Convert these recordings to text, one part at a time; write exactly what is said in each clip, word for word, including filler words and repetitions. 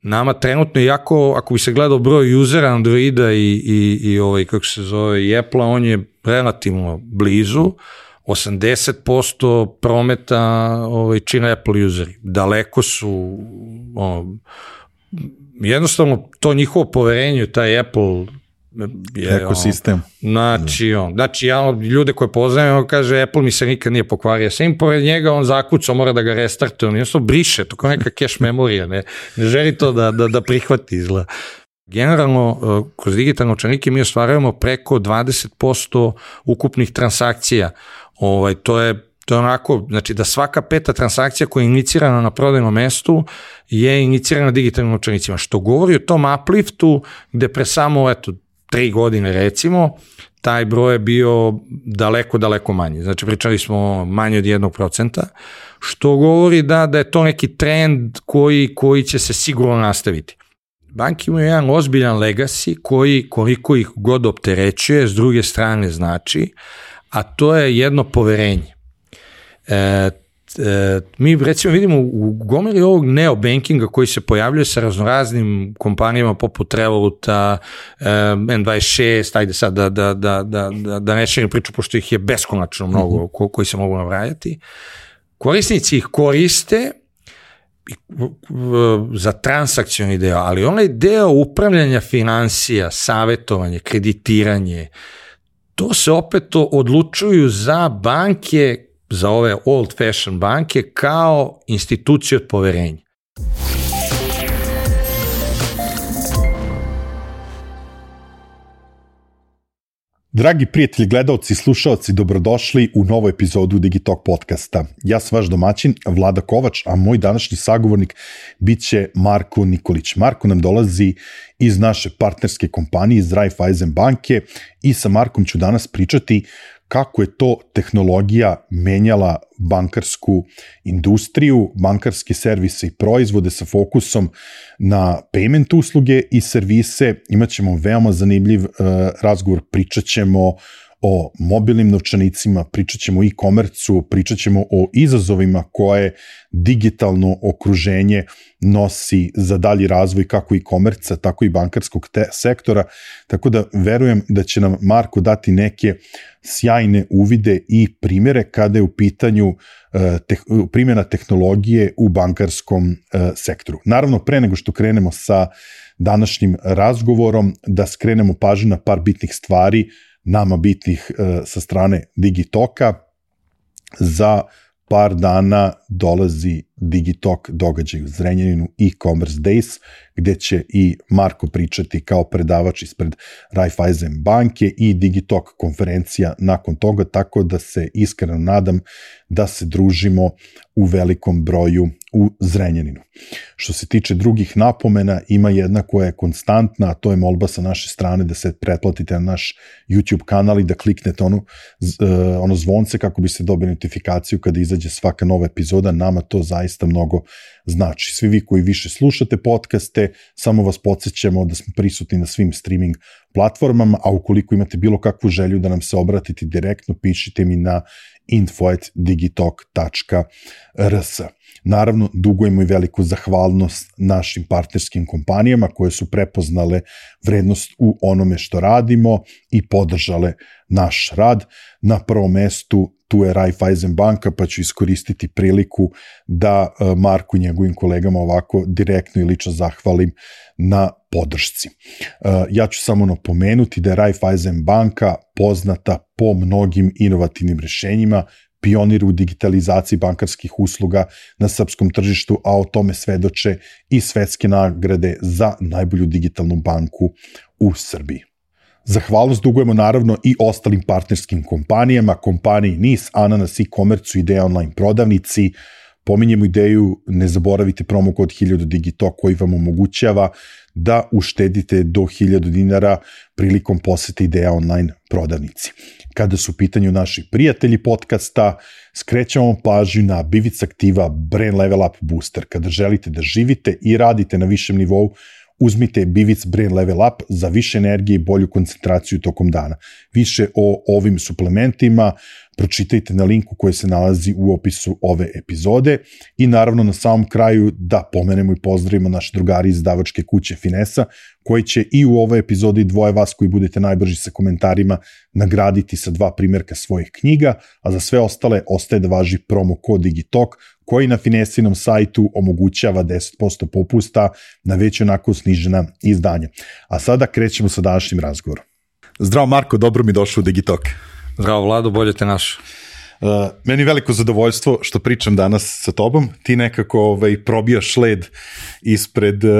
nama trenutno, iako ako bi se gledao broj usera Androida i, i, i ovaj, kako se zove, i Apple-a, on je relativno blizu, osamdeset posto prometa ovaj, čine Apple useri. Daleko su, ono, jednostavno to njihovo poverenje, taj Apple je, ekosistem. On, znači, on, znači ja ljude koje poznajem, on kaže Apple mi se nikad nije pokvario, sam pored njega on zakucao, mora da ga restartuje, on jednostavno briše, to kao neka cache memorija, ne, ne želi to da, da, da prihvati izgleda. Generalno, kroz digitalne novčanike mi ostvarujemo preko dvadeset posto ukupnih transakcija. Ovaj, to je To je onako, znači da svaka peta transakcija koja je inicirana na prodajnom mestu je inicirana digitalnim novčanicima, što govori o tom upliftu gde pre samo, eto, tri godine recimo, taj broj je bio daleko, daleko manji. Znači pričali smo manje od jednog procenta, što govori da, da je to neki trend koji, koji će se sigurno nastaviti. Banke imaju jedan ozbiljan legacy koji koliko ih god opterećuje, s druge strane znači, a to je jedno poverenje. E, e, mi recimo vidimo u gomili ovog neobankinga koji se pojavljuje sa raznoraznim kompanijama poput Revoluta, e, N dvadeset šest, ajde sad da, da, da, da, da, da ne širim priču, pošto ih je beskonačno mnogo mm-hmm. ko, koji se mogu nabrajati. Korisnici ih koriste za transakcioni deo, ali onaj deo upravljanja financija, savjetovanje, kreditiranje, to se opet odlučuju za banke, za ove old fashion banke kao institucije od poverenja. Dragi prijatelji, gledaoci i slušaoci, dobrodošli u novu epizodu Digitalk podcasta. Ja sam vaš domaćin, Vlada Kovač, a moj današnji sagovornik bit će Marko Nikolić. Marko nam dolazi iz naše partnerske kompanije, iz Raiffeisen banke, i sa Markom ću danas pričati kako je to tehnologija menjala bankarsku industriju, bankarske servise i proizvode sa fokusom na payment usluge i servise. Imaćemo veoma zanimljiv uh, razgovor, pričat ćemo o mobilnim novčanicima, pričat ćemo o e-komercu, pričat ćemo o izazovima koje digitalno okruženje nosi za dalji razvoj kako e-komerca, tako i bankarskog te- sektora, tako da verujem da će nam Marko dati neke sjajne uvide i primjere kada je u pitanju uh, te- primjena tehnologije u bankarskom uh, sektoru. Naravno, pre nego što krenemo sa današnjim razgovorom, da skrenemo pažnju na par bitnih stvari, nama bitnih uh, sa strane Digitalka. Za par dana dolazi Digitalk događaj u Zrenjaninu, e-commerce days, gde će i Marko pričati kao predavač ispred Raiffeisen banke i Digitalk konferencija nakon toga, tako da se iskreno nadam da se družimo u velikom broju u Zrenjaninu. Što se tiče drugih napomena, ima jedna koja je konstantna, a to je molba sa naše strane da se pretplatite na naš YouTube kanal i da kliknete ono, ono zvonce kako biste dobili notifikaciju kada izađe svaka nova epizoda. Nama to zaista mnogo znači. Svi vi koji više slušate podcaste, samo vas podsjećamo da smo prisutni na svim streaming platformama, a ukoliko imate bilo kakvu želju da nam se obratite direktno, pišite mi na info at digitalk tačka r s. Naravno, dugujemo i veliku zahvalnost našim partnerskim kompanijama koje su prepoznale vrednost u onome što radimo i podržale naš rad. Na prvom mestu tu je Raiffeisen banka, pa ću iskoristiti priliku da Marku i njegovim kolegama ovako direktno i lično zahvalim na podršci. Ja ću samo napomenuti da je Raiffeisen banka poznata po mnogim inovativnim rešenjima, pionir u digitalizaciji bankarskih usluga na srpskom tržištu, a o tome svedoče i svetske nagrade za najbolju digitalnu banku u Srbiji. Zahvalnost dugujemo naravno i ostalim partnerskim kompanijama, kompaniji N I S, Ananas, e-komercu, Ideja online prodavnici. Pominjemo ideju, ne zaboravite promo kod hiljadu Digitalk koji vam omogućava da uštedite do hiljadu dinara prilikom posete Ideja online prodavnici. Kada su u pitanju naši prijatelji podcasta, skrećamo pažnju na Bivic Aktiva Brain Level Up Booster. Kada želite da živite i radite na višem nivou, uzmite Bivic Brain Level Up za više energije i bolju koncentraciju tokom dana. Više o ovim suplementima pročitajte na linku koji se nalazi u opisu ove epizode i naravno na samom kraju da pomenemo i pozdravimo naše drugari iz izdavačke kuće Finesa, koji će i u ovoj epizodi dvoje vas koji budete najbrži sa komentarima nagraditi sa dva primjerka svojih knjiga, a za sve ostale ostaje da važi promo kod Digitalk, koji na Finesinom sajtu omogućava deset posto popusta na već onako snižena izdanja. A sada krećemo sa današnjim razgovorom. Zdravo Marko, dobro mi došao u Digitalk. Zdravo Vlado, bolje te našao. Uh, meni veliko zadovoljstvo što pričam danas sa tobom. Ti nekako ovaj, probijaš led ispred uh,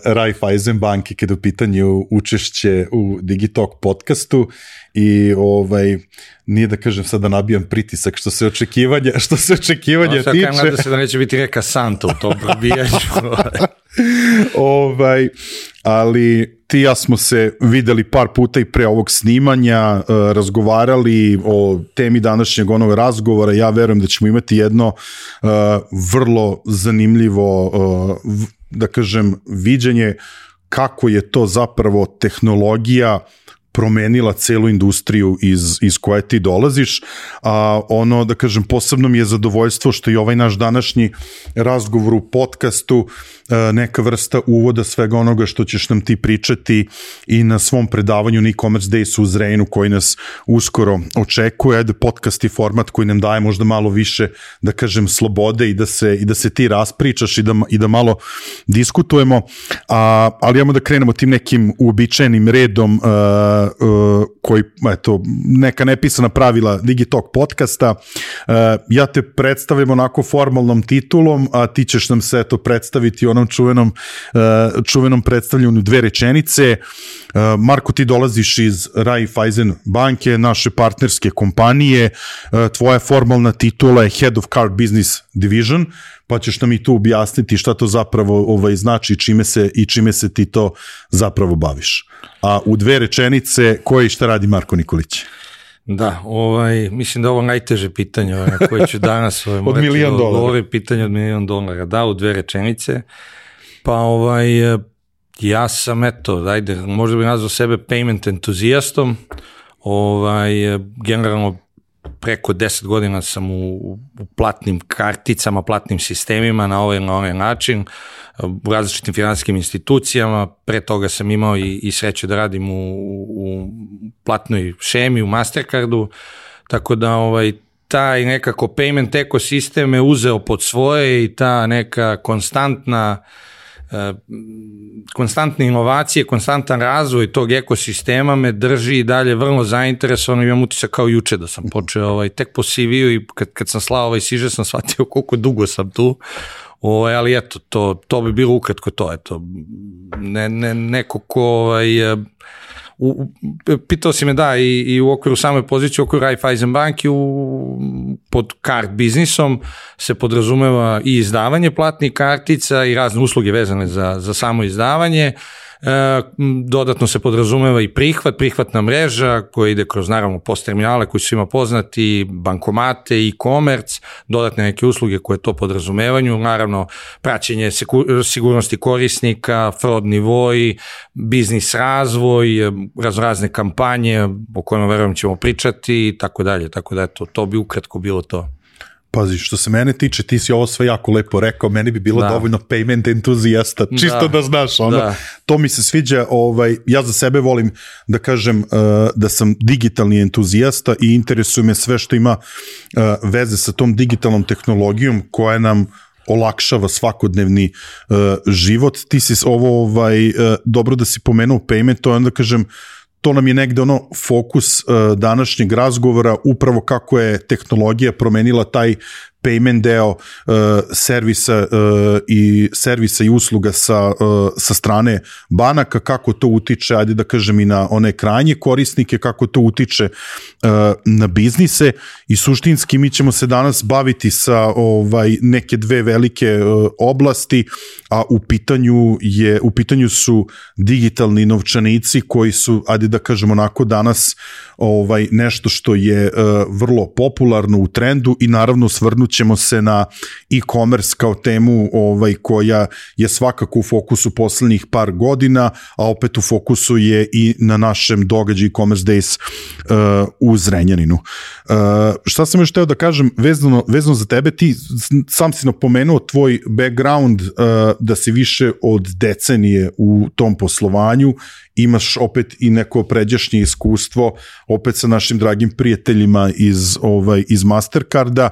Raiffeisen banke kada u pitanju učešće u Digitalk podcastu i ovaj, nije da kažem sad da nabijam pritisak što se očekivanja, što se očekivanja no, tiče. Nadam se da neće biti reka Santa u tom probijanju. ovaj, ali ti i ja smo se videli par puta i pre ovog snimanja, uh, razgovarali o temi današnjeg onog razgovora. Ja verujem da ćemo imati jedno uh, vrlo zanimljivo, uh, v, da kažem, viđenje kako je to zapravo tehnologija promenila celu industriju iz, iz koje ti dolaziš, a ono, da kažem, posebno mi je zadovoljstvo što i ovaj naš današnji razgovor u podcastu neka vrsta uvoda svega onoga što ćeš nam ti pričati i na svom predavanju na e-commerce days u Zrenjaninu koji nas uskoro očekuje. Ajde, podcast je format koji nam daje možda malo više, da kažem, slobode i da se, i da se ti raspričaš i da, i da malo diskutujemo, a, ali imamo da krenemo tim nekim uobičajenim redom uh, uh, koji, eto, neka nepisana pravila Digitalk podcasta. Uh, ja te predstavljam onako formalnom titulom, a ti ćeš nam se eto predstaviti onom čuvenom, uh, čuvenom predstavljanju dve rečenice. Uh, Marko, ti dolaziš iz Raiffeisen banke, naše partnerske kompanije, uh, tvoja formalna titula je Head of Card Business Division, pa ćeš nam i tu objasniti šta to zapravo ovaj, znači čime se, i čime se ti to zapravo baviš. A u dve rečenice, koje i šta radi Marko Nikolić? Da, ovaj, mislim da ovo najteže pitanje ovaj, na koje ću danas ovaj, od milion dolara. Ovo pitanje od milion dolara, da, u dve rečenice. Pa ovaj, ja sam, eto, ajde, možda bih nazvao sebe payment entuzijastom, ovaj, generalno preko deset godina sam u, u platnim karticama, platnim sistemima na ovaj na onaj način, u različitim finansijskim institucijama. Pre toga sam imao i, i sreću da radim u, u platnoj šemi, u Mastercardu, tako da ovaj, taj nekako payment ekosistem me uzeo pod svoje i ta neka konstantna konstantne inovacije, konstantan razvoj tog ekosistema me drži i dalje vrlo zainteresovan. Imam utisak kao juče da sam počeo ovaj, tek po C V-u i kad, kad sam slao ovaj siže sam shvatio koliko dugo sam tu, ovaj, ali eto, to, to bi bilo ukratko to, eto, ne, ne, neko ko ovaj, U, pitao si me da i, i u okviru same pozicije u okviru Raiffeisen banki u, pod card biznisom se podrazumeva i izdavanje platnih kartica i razne usluge vezane za, za samo izdavanje. E, dodatno se podrazumeva i prihvat, prihvatna mreža koja ide kroz naravno post terminale koji su svima poznati, bankomate, e-commerce, dodatne neke usluge koje to podrazumevanju, naravno praćenje sigurnosti korisnika, fraud nivoi, biznis razvoj, raznorazne kampanje o kojima verujem ćemo pričati i tako dalje, tako da eto, to bi ukratko bilo to. Pazi, što se mene tiče, ti si ovo sve jako lepo rekao, meni bi bilo da. dovoljno payment entuzijasta, čisto da, da znaš, ono, da. To mi se sviđa, ovaj, ja za sebe volim da kažem uh, da sam digitalni entuzijasta i interesuje me sve što ima uh, veze sa tom digitalnom tehnologijom koja nam olakšava svakodnevni uh, život. Ti si ovo, ovaj, uh, dobro da si pomenuo payment, to je onda kažem, to nam je negde ono fokus uh, današnjeg razgovora, upravo kako je tehnologija promenila taj payment deo uh, servisa uh, i servisa i usluga sa, uh, sa strane banaka, kako to utiče, ajde da kažem i na one krajnje korisnike, kako to utiče uh, na biznise i suštinski mi ćemo se danas baviti sa ovaj neke dve velike uh, oblasti, a u pitanju je u pitanju su digitalni novčanici koji su, ajde da kažem onako danas ovaj nešto što je uh, vrlo popularno u trendu i naravno svrnut osvrnućemo se na e-commerce kao temu ovaj, koja je svakako u fokusu poslednjih par godina, a opet u fokusu je i na našem događaju e-commerce days uh, u Zrenjaninu. Uh, šta sam još teo da kažem vezano, vezano za tebe, ti sam si napomenuo tvoj background uh, da si više od decenije u tom poslovanju, imaš opet i neko pređašnje iskustvo opet sa našim dragim prijateljima iz, ovaj, iz Mastercarda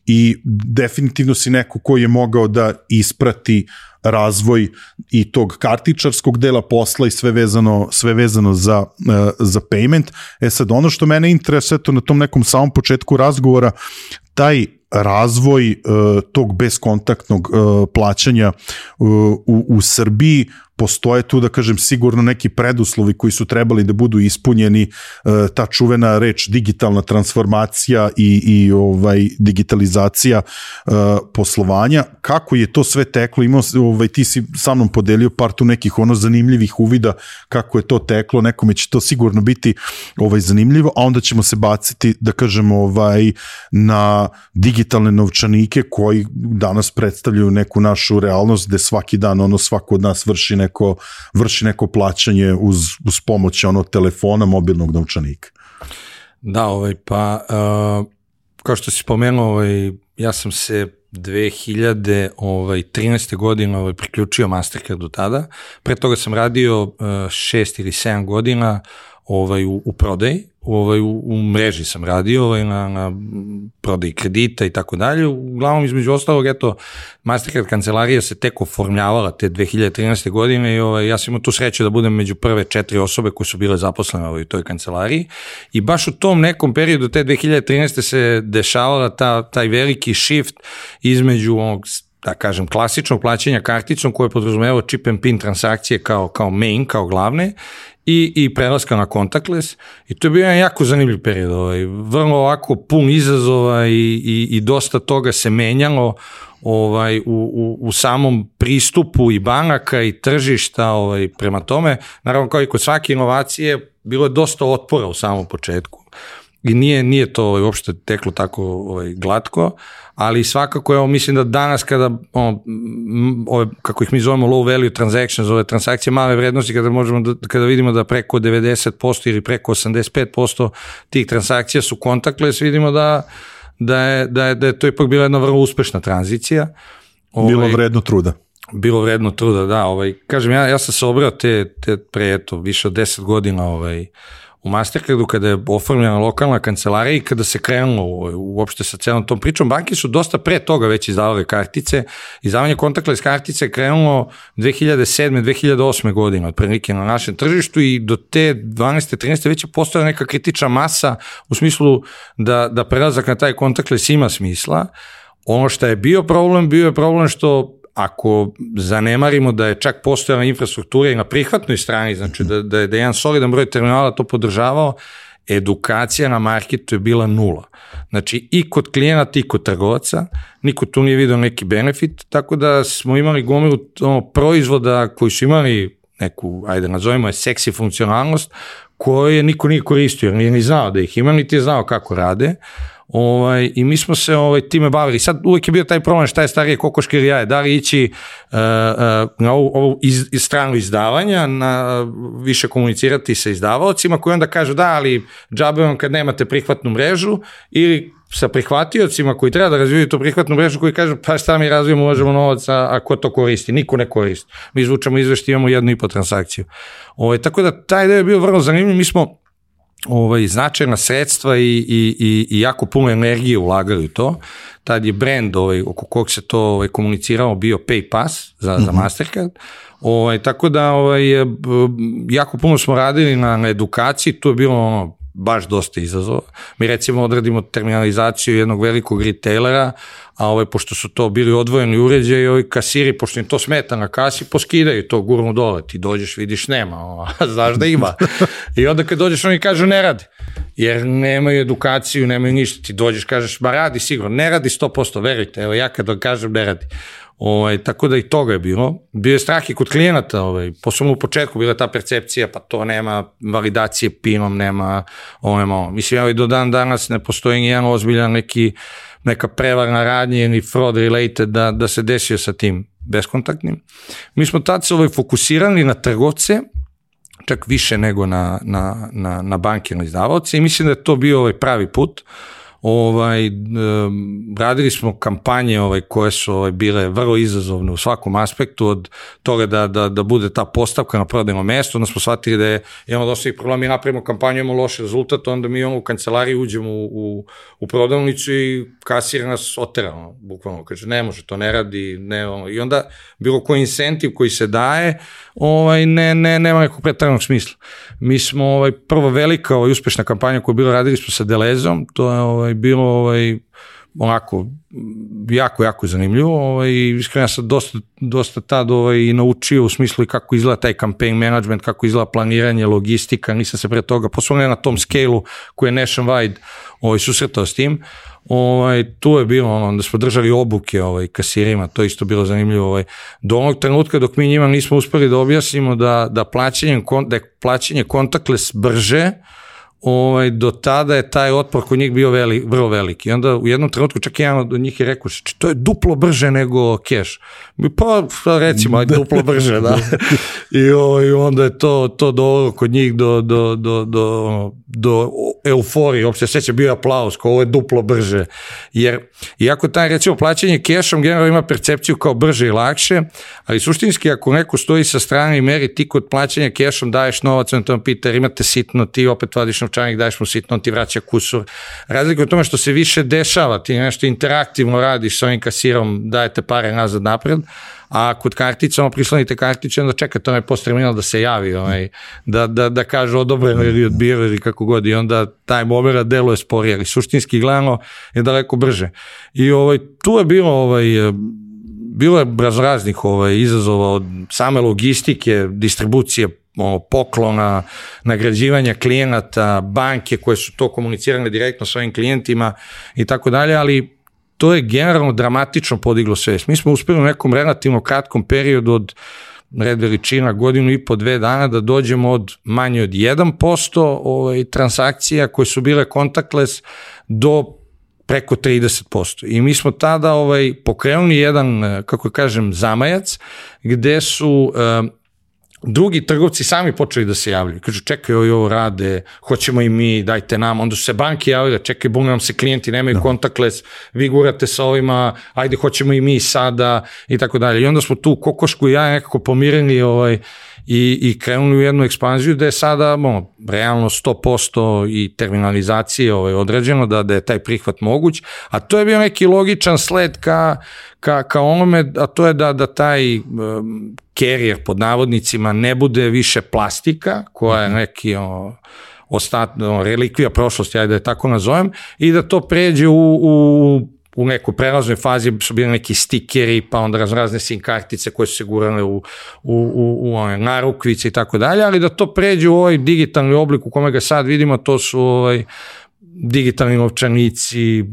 i definitivno si neko koji je mogao da isprati razvoj i tog kartičarskog dela posla i sve vezano, sve vezano za, uh, za payment. E sad, ono što mene interesuje to na tom nekom samom početku razgovora, taj razvoj uh, tog beskontaktnog uh, plaćanja uh, u, u Srbiji, postoje tu, da kažem, sigurno neki preduslovi koji su trebali da budu ispunjeni, ta čuvena reč digitalna transformacija i, i ovaj, digitalizacija poslovanja. Kako je to sve teklo? Imao, ovaj, ti si sa mnom podelio par tu nekih ono zanimljivih uvida kako je to teklo, nekome će to sigurno biti ovaj, zanimljivo, a onda ćemo se baciti, da kažem, ovaj, na digitalne novčanike koji danas predstavljaju neku našu realnost gde svaki dan ono svako od nas vrši neko, vrši neko plaćanje uz, uz pomoć onog telefona, mobilnog novčanika. Da, ovaj, pa uh, kao što si spomenuo, ovaj, ja sam se dve hiljade trinaeste. godine ovaj, priključio Mastercardu tada. Pre toga sam radio uh, šest ili sedam godina ovaj, u, u prodaji, ovaj, u, u mreži sam radio ovaj, na, na prodaji kredita i tako dalje. Uglavnom, između ostalog, eto, Mastercard kancelarija se tek oformljavala te dve hiljade trinaeste. godine i ovaj, ja sam imao tu sreću da budem među prve četiri osobe koje su bile zaposlene ovaj, u toj kancelariji i baš u tom nekom periodu te dve hiljade trinaeste. se dešavala ta, taj veliki shift između onog, da kažem, klasičnog plaćanja karticom koje je podrazumevalo chip and pin transakcije kao, kao main, kao glavne i, i prelaska na contactless i to je bio jedan jako zanimljiv period, ovaj, vrlo ovako pun izazova i, i, i dosta toga se menjalo ovaj, u, u, u samom pristupu i banaka i tržišta ovaj, prema tome. Naravno, kao i kod svake inovacije, bilo je dosta otpora u samom početku i nije, nije to ovaj, uopšte teklo tako ovaj, glatko, ali svakako, evo, mislim da danas kada, ono, ove, kako ih mi zovemo low value transactions, ove transakcije male vrednosti, kada možemo da, kada vidimo da preko devedeset posto ili preko osamdeset pet posto tih transakcija su contactless, vidimo da, da, je, da, je, da je to ipak bila jedna vrlo uspešna tranzicija. Ovaj, bilo vredno truda. Bilo vredno truda, da. Ovaj, kažem, ja, ja sam se obrao te, te pre, eto, više od deset godina, ovaj, u Mastercardu kada je oformljena lokalna kancelarija i kada se krenulo uopšte sa celom tom pričom, banke su dosta pre toga već izdavale kartice. Izdavanje contactless kartice je krenulo dve hiljade sedme. dve hiljade osme. godine otprilike na našem tržištu i do te dvanaeste. trinaeste. već je postojala neka kritična masa u smislu da, da prelazak na taj contactless ima smisla. Ono što je bio problem, bio je problem što ako zanemarimo da je čak postojala infrastruktura i na prihvatnoj strani, znači da, da je da jedan solidan broj terminala to podržavao, edukacija na marketu je bila nula. Znači i kod klijenata i kod trgovaca, niko tu nije vidio neki benefit, tako da smo imali gomilu ono, proizvoda koji su imali neku, ajde nazovimo je seksi funkcionalnost, koje niko nije koristio, jer nije ni znao da ih ima, niti je znao kako rade. Ovaj, i mi smo se ovaj, time bavili. Sad uvijek je bio taj problem šta je starije kokoške ili jaje, da li ići uh, uh, na ovu, ovu iz, iz stranu izdavanja, na, više komunicirati sa izdavaocima koji onda kažu da, ali džabe vam kad nemate prihvatnu mrežu, ili sa prihvatiocima koji treba da razvijaju tu prihvatnu mrežu koji kažu pa šta mi razvijemo, ulažemo novac, a, a ko to koristi? Niko ne koristi. Mi izvučemo izvešti, imamo jednu i po transakciju. Ovaj, tako da taj deo je bio vrlo zanimljiv. Mi smo ovaj, značajna sredstva i, i, i, i jako puno energije ulagali u to. Tad je brand ovaj, oko kog se to ovaj, komunicirao bio PayPass za, mm-hmm. za Mastercard. Ovaj, tako da ovaj, jako puno smo radili na, na edukaciji, to je bilo ono, baš dosta izazova. Mi recimo odradimo terminalizaciju jednog velikog retailera, a ovaj, pošto su to bili odvojeni uređaji, ovi kasiri, pošto im to smeta na kasi, poskidaju to, gurnu dole, ti dođeš, vidiš, nema, a znaš da ima. I onda kad dođeš, oni kažu ne radi, jer nemaju edukaciju, nemaju ništa, ti dođeš, kažeš, ba radi sigurno, ne radi sto posto, verujte, evo ja kad kažem ne radi. Ovaj, tako da i toga je bilo. Bio je strah i kod klijenata, ovaj, posebno u početku bila ta percepcija, pa to nema validacije pinom, nema ovo, nema ovo. Mislim, evo i do dan danas ne postoji nijedan ozbiljan neki neka prevarna radnja ili fraud related da, da se desio sa tim beskontaktnim. Mi smo tad se ovaj fokusirali na trgovce, čak više nego na, na, na, na bankirne izdavaoce i mislim da je to bio ovaj pravi put. Ovaj, radili smo kampanje ovaj, koje su ovaj, bile vrlo izazovne u svakom aspektu, od toga da, da, da bude ta postavka na prodajno mesto, onda smo shvatili da je, imamo dosta ih problema, mi napravimo kampanju, imamo loš rezultat, onda mi imamo u kancelariji, uđemo u, u, u prodavnicu i kasir nas otera, bukvalno, kaže, ne može, to ne radi, ne, ono, i onda bilo koji incentiv koji se daje, ovaj, ne, ne, nema nekog preteranog smisla. Mi smo, ovaj, prvo velika ovaj, uspešna kampanja koju bilo, radili smo sa Delezom, to je ovaj, bilo ovaj, onako jako, jako zanimljivo ovaj, i iskreno ja sam dosta, dosta tad ovaj, i naučio u smislu i kako izgleda taj campaign management, kako izgleda planiranje, logistika, nisam se pre toga, poslovno na tom scale-u koji je nationwide ovaj, susretao s tim. Ovaj, tu je bilo ono, da smo držali obuke ovaj, kasirima, to je isto bilo zanimljivo. Ovaj. Do onog trenutka dok mi njima nismo uspeli da objasnimo da, da, plaćanje, da je plaćanje contactless brže, ovaj, do tada je taj otpor kod njih bio veli, vrlo veliki. I onda u jednom trenutku čak jedan od njih je rekao, to je duplo brže nego keš. Pa recimo, duplo brže, da. I ovaj, onda je to, to dovelo kod njih do, do, do, do, do euforije, uopšte seća bio aplauz, kao ovo je duplo brže. Jer, iako taj, recimo, plaćanje kešom generalno ima percepciju kao brže i lakše, ali suštinski ako neko stoji sa strane i meri, ti kod plaćanja kešom daješ novac, on to pita, jer imate sitno, ti opet vadiš novčanik, daješ mu sitno, on ti vraća kusur. Razlika je u tome što se više dešava, ti nešto interaktivno radiš sa ovim kasirom, dajete pare nazad napred, a kod kartica, ono prislonite kartiće, onda čekate onaj post terminal da se javi, onaj, da, da, da kaže odobreno ili odbio ili kako god, i onda taj moment deluje sporije, ali suštinski gledano je daleko brže. I ovaj, tu je bilo ovaj, bilo je raznih ovaj, izazova od same logistike, distribucije, poklona, nagrađivanja klijenata, banke koje su to komunicirane direktno s ovim klijentima i tako dalje, ali to je generalno dramatično podiglo svest. Mi smo uspeli u nekom relativno kratkom periodu od red veličina godinu i po dve dana da dođemo od manje od jedan posto ovaj, transakcija koje su bile contactless do preko trideset posto. I mi smo tada ovaj, pokrenuli jedan, kako kažem, zamajac, gde su um, drugi trgovci sami počeli da se javljaju. Kažu, čekaj, ovo, ovo rade, hoćemo i mi, dajte nam. Onda su se banke javile, čekaj, bune nam se klijenti, nemaju contactless, vi gurate sa ovima, ajde, hoćemo i mi sada, i tako dalje. I onda smo tu kokošku i ja nekako pomirili ovaj, i, i krenuli u jednu ekspanziju da je sada bon, realno sto posto i terminalizacije ovaj, određeno, da, da je taj prihvat moguć, a to je bio neki logičan sled ka, ka, ka onome, a to je da, da taj um, carrier pod navodnicima ne bude više plastika, koja je neki o, ostat, o, relikvija prošlosti, ajde da je tako nazovem, i da to pređe u, u u nekoj prelaznoj fazi su bili neki stikeri, pa onda razne sim kartice koje su se gurale u, u, u, u one narukvice i tako dalje, ali da to pređe u ovaj digitalni oblik u kome ga sad vidimo, to su ovaj, digitalni novčanici,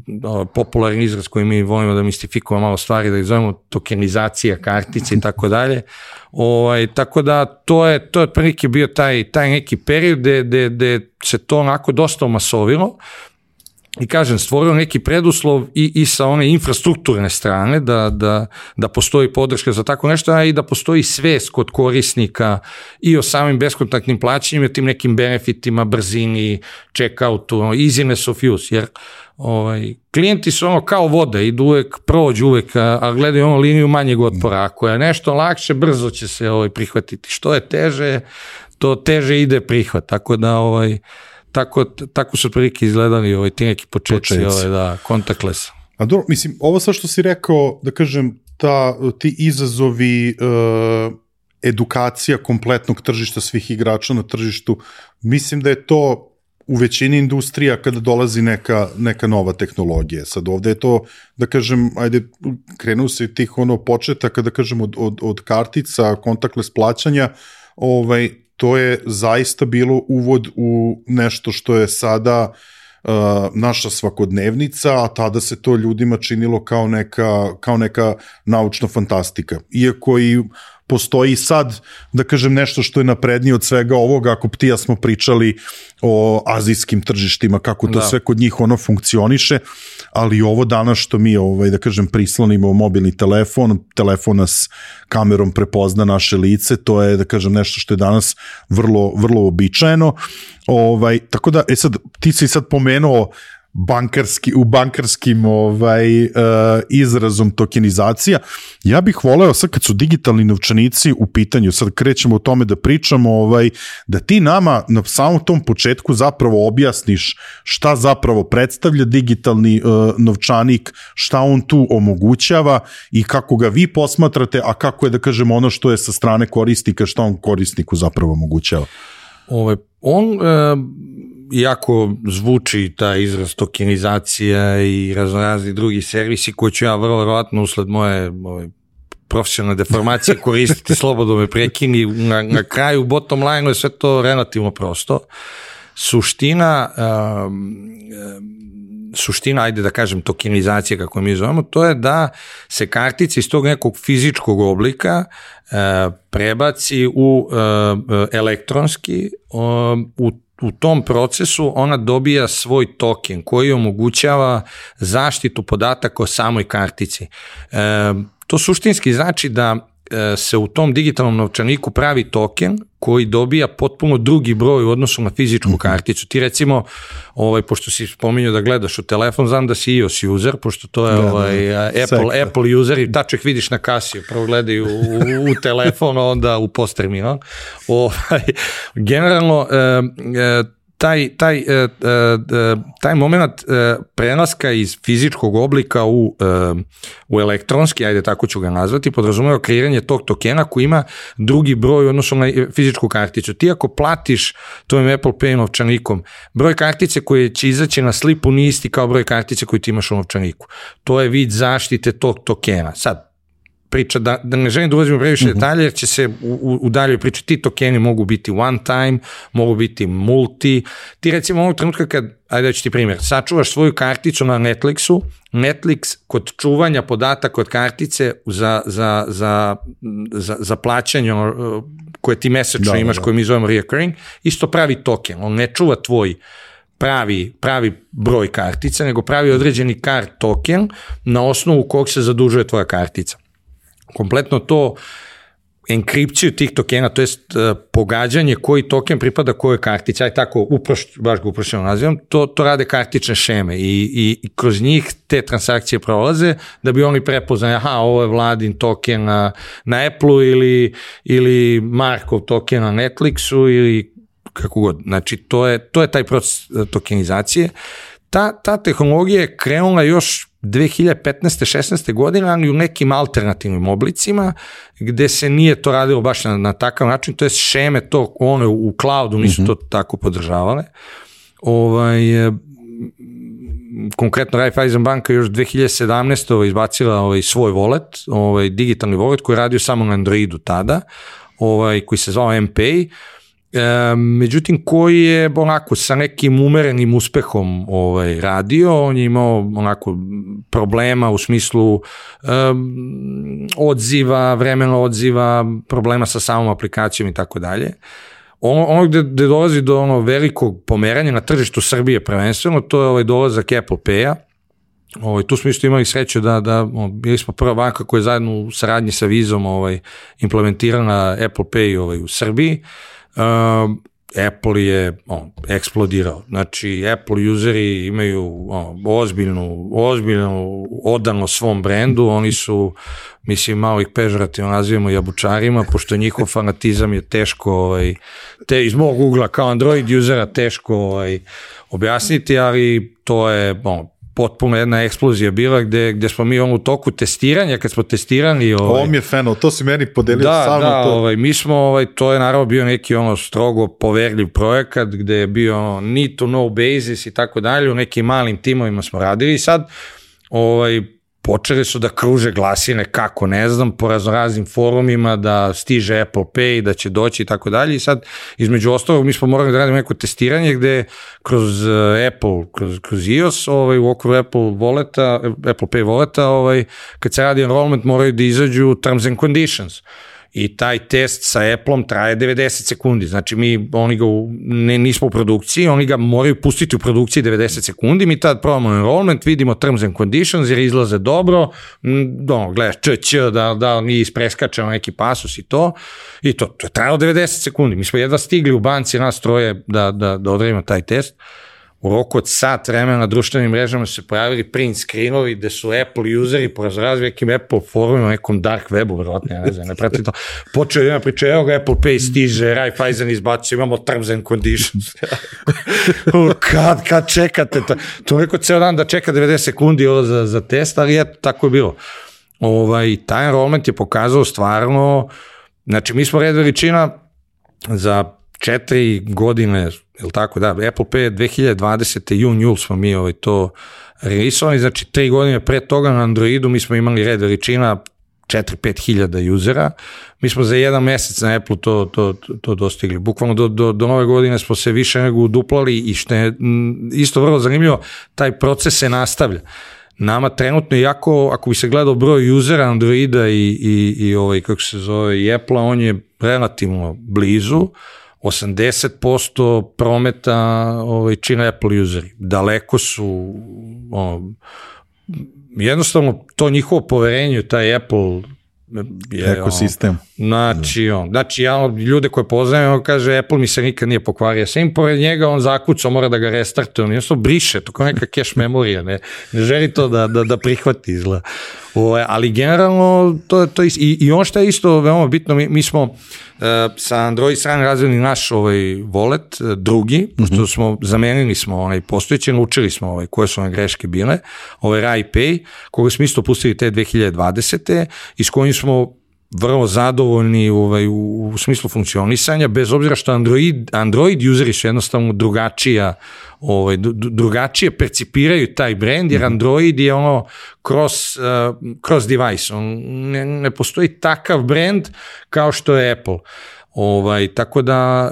popularni izraz koji mi volimo da mistifikujemo malo stvari, da ih zovemo tokenizacija kartice i tako dalje. Ovaj, tako da to je, to je otprilike bio taj, taj neki period gde, gde, gde se to onako dosta omasovilo. I kažem, stvorio neki preduslov i, i sa one infrastrukturne strane da, da, da postoji podrška za tako nešto, a i da postoji svest kod korisnika i o samim beskontaktnim plaćanjima, tim nekim benefitima, brzini, check-outu, easiness of use, jer ovaj, klijenti su ono kao voda, idu uvek, prođu uvek, a, a gledaju ono liniju manjeg otpora. Ako je nešto lakše, brzo će se ovaj, prihvatiti. Što je teže, to teže ide prihvat, tako da ovaj, Tako, tako su prilike izgledali ovaj, ti neki početci, ovaj, da, contactless. A dobro, mislim, ovo sve što si rekao, da kažem, ta, ti izazovi, uh, edukacija kompletnog tržišta svih igrača na tržištu, mislim da je to u većini industrija kada dolazi neka, neka nova tehnologija. Sad ovde je to, da kažem, ajde, krenu se tih ono početaka, da kažem, od, od, od kartica, contactless plaćanja, ovaj, to je zaista bilo uvod u nešto što je sada uh, naša svakodnevnica, a tada se to ljudima činilo kao neka, kao neka naučna fantastika. Iako i postoji sad, da kažem, nešto što je naprednije od svega ovoga, ako ti ja smo pričali o azijskim tržištima, kako to da. sve kod njih ono funkcioniše, ali ovo danas što mi, ovaj, da kažem, prislonimo mobilni telefon, telefon nas kamerom prepozna naše lice, to je, da kažem, nešto što je danas vrlo, vrlo običajeno. Ovaj, tako da, e sad, ti si sad pomenuo bankarski, u bankarskim ovaj, uh, izrazom tokenizacija. Ja bih voleo sad kad su digitalni novčanici u pitanju, sad krećemo o tome da pričamo, ovaj, da ti nama na samom tom početku zapravo objasniš šta zapravo predstavlja digitalni uh, novčanik, šta on tu omogućava i kako ga vi posmatrate, a kako je, da kažemo, ono što je sa strane korisnika, šta on korisniku zapravo omogućava. Ove, on e, iako zvuči ta izraz tokenizacija i raznorazni drugi servisi koji ću ja vrlo verovatno usled moje ove, profesionalne deformacije koristiti, slobodno me prekini, na, na kraju bottom line je sve to relativno prosto. Suština um, suština, ajde da kažem, tokenizacije, kako mi zovemo, to je da se kartica iz tog nekog fizičkog oblika uh, prebaci u uh, elektronski, uh, u U tom procesu ona dobija svoj token koji omogućava zaštitu podataka o samoj kartici. E, to suštinski znači da e, se u tom digitalnom novčaniku pravi token koji dobija potpuno drugi broj u odnosu na fizičku karticu. Ti recimo, ovaj, pošto si spominjao da gledaš u telefon, znam da si iOS user, pošto to je da, ovaj, da, Apple, Apple user i taček vidiš na kasi, prvo gledaju u, u telefon, onda u postterminal. Ovaj, generalno, e, e, taj, taj, e, e, taj moment e, prelaska iz fizičkog oblika u, e, u elektronski, ajde tako ću ga nazvati, podrazumeva kreiranje tog tokena koji ima drugi broj odnosno na fizičku karticu. Ti ako platiš tvojim Apple Pay novčanikom, broj kartice koje će izaći na slipu nije isti kao broj kartice koju ti imaš u novčaniku. To je vid zaštite tog tokena. Sad, priča, da, da ne želim da ulazimo previše uh-huh. detalje, jer će se u, u, u daljoj priči, ti tokeni mogu biti one time, mogu biti multi, ti recimo ovog trenutka kad, ajde da ću ti primjer, sačuvaš svoju karticu na Netflixu, Netflix kod čuvanja podataka od kartice za, za, za, za, za plaćanje koje ti mesečno da, imaš, da. koje mi zovemo reoccurring, isto pravi token, on ne čuva tvoj pravi, pravi broj kartica, nego pravi određeni card token na osnovu kog se zadužuje tvoja kartica. Kompletno to enkripciju tih tokena, to jest uh, pogađanje koji token pripada kojoj kartici, aj tako, uproš, baš ga uprošćeno nazivam, to, to rade kartične šeme i, i, i kroz njih te transakcije prolaze da bi oni prepoznali, aha, ovo je Vladin token na, na Apple-u ili, ili Markov token na Netflixu ili kako god. Znači, to je, to je taj proces tokenizacije. Ta, ta tehnologija je krenula još dve hiljade petnaeste šesnaeste godine, ali u nekim alternativnim oblicima, gde se nije to radilo baš na, na takav način, to je šeme to, one u cloudu nisu mm-hmm. to tako podržavale. Ovaj, konkretno Raiffeisen banka još dve hiljade sedamnaeste Ovaj, izbacila ovaj, svoj wallet, ovaj, digitalni wallet koji je radio samo na Androidu tada, ovaj, koji se zvao M-Pay, E, međutim koji je onako sa nekim umerenim uspehom ovaj, radio, on je imao onako problema u smislu um, odziva, vremena odziva, problema sa samom aplikacijom i tako dalje. Ono, ono gde, gde dolazi do ono velikog pomeranja na tržištu Srbije prvenstveno, to je ovaj dolazak Apple Pay-a. Ovaj, tu smo isto imali sreću da, da o, bili smo prva banka koja je zajedno u saradnji sa Vizom ovaj, implementirana Apple Pay ovaj, u Srbiji. Uh, Apple je on, eksplodirao. Znači, Apple useri imaju on, ozbiljnu, ozbiljnu odano svom brendu, oni su, mislim, malo ih pežorativno nazivamo jabučarima, pošto njihov fanatizam je teško, ovaj, te, iz mog ugla kao Android usera teško ovaj, objasniti, ali to je on, potpuno jedna eksplozija bila gde, gde smo mi on, u toku testiranja, kad smo testirani... Ovaj, ovo mi je feno, to si meni podelio da, samo da, to. Ovaj, mi smo, ovaj, to je naravno bio neki ono strogo poverljiv projekat gde je bio ono, need to know basis i tako dalje, u nekim malim timovima smo radili i sad ovaj, počeli su da kruže glasine, kako ne znam, po raznoraznim forumima da stiže Apple Pay, da će doći i tako dalje i sad između ostalog mi smo morali da radimo neko testiranje gde kroz Apple, kroz, kroz iOS, ovaj, u okviru Apple Walleta, Apple Pay Walleta, ovaj, kad se radi enrollment moraju da izađu terms and conditions. i taj test sa Appleom traje devedeset sekundi, znači mi oni ga u, ne, nismo u produkciji, oni ga moraju pustiti u produkciji devedeset sekundi, mi tad probamo enrollment, vidimo terms and conditions jer izlaze dobro, ono, gledaš č, č, da, da nije ispreskačeno neki pasus i to, i to, to je trajalo devedeset sekundi, mi smo jedva stigli u banci nas troje da, da, da odradimo taj test. U roku od sat vremena na društvenim mrežama su se pojavili print screenovi gde su Apple useri po razrazvijekim Apple forumima, nekom dark webu, verovatno, ja ne znam, ne pratim to. Počeo jedna priča, evo ga Apple Pay stiže, Raiffeisen izbacio, imamo terms and conditions. kad, kad čekate? To, to neko ceo dan da čeka devedeset sekundi ovo za, za test, ali eto, tako je bilo. Ovaj, taj enrollment je pokazao stvarno, znači mi smo red veličina za četiri godine, je li tako, da, Apple Pay dve hiljade dvadesete jun, jul smo mi ovaj, to releasovali, znači tri godine pre toga na Androidu mi smo imali red veličina četiri do pet hiljada usera, mi smo za jedan mesec na Apple to, to, to dostigli, bukvalno do, do, do nove godine smo se više nego uduplali i što je isto vrlo zanimljivo, taj proces se nastavlja. Nama trenutno, iako ako bi se gledao broj usera Androida i, i, i ovaj, kako se zove, i Apple-a, on je relativno blizu, osamdeset posto prometa ovaj, čine Apple useri. Daleko su, ono, jednostavno to njihovo poverenje, taj Apple je, ekosistem. On, znači, on, znači ja ljude koje poznajem, on kaže Apple mi se nikad nije pokvario, sam pored njega on zakucao, mora da ga restartuje, on jednostavno briše, to kao neka cache memorija, ne, ne želi to da, da, da prihvati izgleda. O, ali generalno to, to is, i, i on što je isto veoma bitno, mi, mi smo uh, sa Android strane razvili naš ovaj wallet, drugi, pošto mm-hmm. smo zamenili smo onaj postojeći, naučili smo ovaj, koje su one greške bile, ovaj Raipay, koga smo isto pustili te dve hiljade dvadesete i s kojim smo vrlo zadovoljni ovaj, u, u smislu funkcionisanja, bez obzira što Android, Android useri su jednostavno drugačija, ovaj, drugačije percipiraju taj brand, jer Android je ono cross, uh, cross device, on ne, ne postoji takav brand kao što je Apple. Ovaj, tako da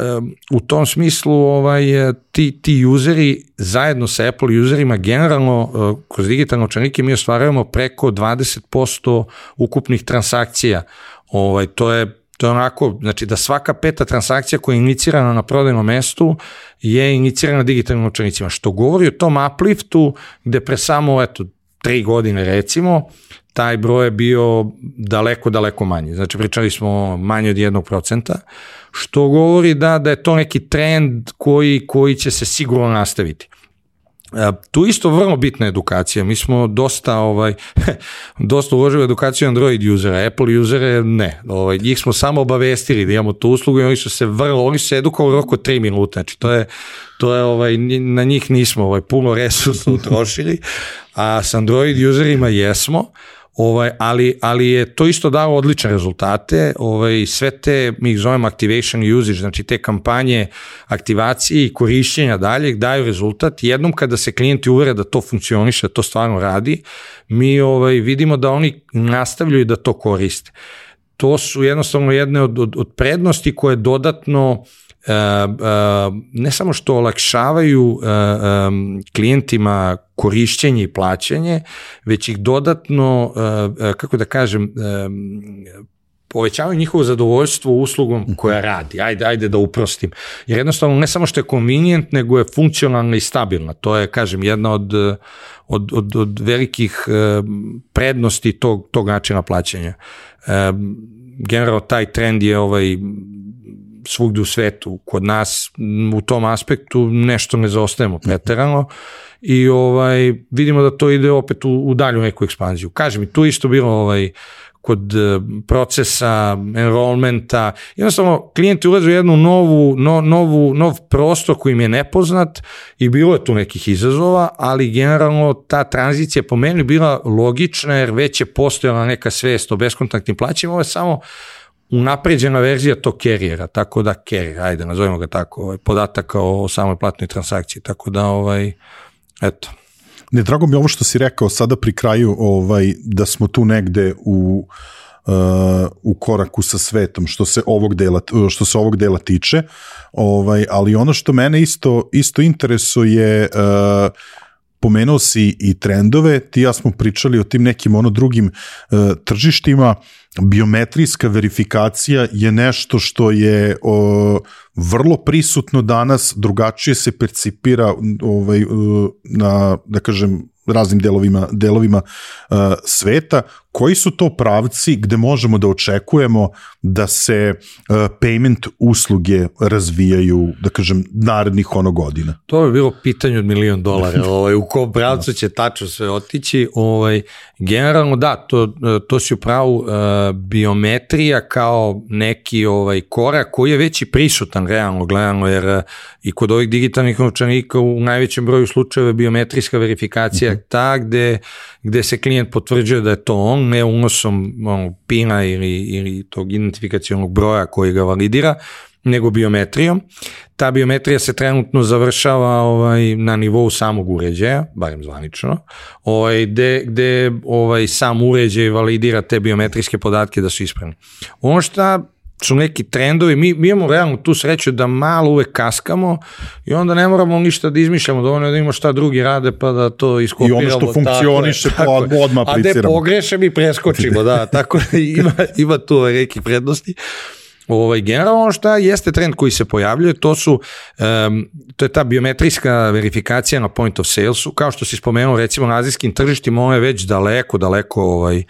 u tom smislu ovaj, ti, ti useri zajedno sa Apple userima generalno kroz digitalne novčanike mi ostvarujemo preko dvadeset posto ukupnih transakcija. Ovaj, to je To je onako, znači da svaka peta transakcija koja je inicirana na prodajnom mestu je inicirana digitalnim novčanicima, što govori o tom upliftu gde pre samo eto, tri godine recimo, taj broj je bio daleko, daleko manji. Znači pričali smo manje od jednog procenta, što govori da, da je to neki trend koji, koji će se sigurno nastaviti. Tu isto vrlo bitna edukacija, mi smo dosta ovaj, dosta uložili edukaciju Android usera, Apple usere ne, ovaj, njih smo samo obavestili da imamo tu uslugu i oni su se vrlo, oni su se edukovali oko tri minuta, znači to je, to je ovaj, na njih nismo ovaj, puno resursa utrošili, a s Android userima jesmo, Ovaj, ali, ali je to isto dalo odlične rezultate, ovaj, sve te, mi ih zovemo activation usage, znači te kampanje aktivacije i korišćenja dalje daju rezultat. Jednom kada se klijenti uvere da to funkcioniše, da to stvarno radi, mi ovaj, vidimo da oni nastavljaju da to koriste. To su jednostavno jedne od, od, od prednosti koje dodatno Uh, uh, ne samo što olakšavaju uh, um, klijentima korišćenje i plaćanje, već ih dodatno, uh, uh, kako da kažem, um, povećavaju njihovo zadovoljstvo uslugom koja radi. Ajde, ajde da uprostim. Jer jednostavno ne samo što je convenient, nego je funkcionalna i stabilna. To je, kažem, jedna od, od, od, od velikih uh, prednosti tog, tog načina plaćanja. Uh, generalno taj trend je ovaj svugde u svetu, kod nas u tom aspektu nešto ne zaostajemo preterano i ovaj, vidimo da to ide opet u, u dalju neku ekspanziju. Kažem, tu isto bilo ovaj, kod procesa, enrollmenta, jednostavno klijenti ulaze u jednu novu, no, novu, nov prostor koji im je nepoznat i bilo je tu nekih izazova, ali generalno ta tranzicija po meni bila logična jer već je postojala neka svest o beskontaktnim plaćima, ovo je samo unapređena verzija tog carriera, tako da carrier, ajde, nazovimo ga tako, ovaj, podataka o samoj platnoj transakciji, tako da, ovaj, eto. Ne, drago mi je ovo što si rekao sada pri kraju, ovaj, da smo tu negde u, uh, u koraku sa svetom, što se ovog dela, što se ovog dela tiče, ovaj, ali ono što mene isto, isto interesuje, uh, pomenuo si i trendove, ti ja smo pričali o tim nekim ono drugim uh, tržištima. Biometrijska verifikacija je nešto što je uh, vrlo prisutno danas, drugačije se percipira ovaj, uh, na, da kažem, raznim delovima, delovima uh, sveta. Koji su to pravci gde možemo da očekujemo da se uh, payment usluge razvijaju, da kažem, narednih ono godina? To je bilo pitanje od milion dolara, ovaj, u kom pravcu će tačno sve otići. Ovaj, generalno da, to, to si upravo uh, biometrija kao neki ovaj, korak koji je već i prisutan realno gledano, jer uh, i kod ovih digitalnih novčanika u najvećem broju slučajeva biometrijska verifikacija uh-huh. ta gde, gde se klijent potvrđuje da je to on, ne unosom ono, pina ili, ili tog identifikacionog broja koji ga validira, nego biometrijom. Ta biometrija se trenutno završava ovaj, na nivou samog uređaja, barem zvanično, ovaj, gde, gde ovaj, sam uređaj validira te biometrijske podatke da su ispravni. Ono šta su neki trendovi, mi, mi imamo realno tu sreću da malo uvek kaskamo i onda ne moramo ništa da izmišljamo, dovoljno da imamo šta drugi rade pa da to iskopiramo. I ono što funkcioniše po odmah apliciramo. A gde pogreše mi preskočimo, da, tako da ima, ima tu neki prednosti. Ovaj, generalno šta jeste trend koji se pojavljuje, to su, um, to je ta biometrijska verifikacija na point of salesu, kao što si spomenuo recimo na azijskim tržištima, ona je već daleko, daleko ovaj,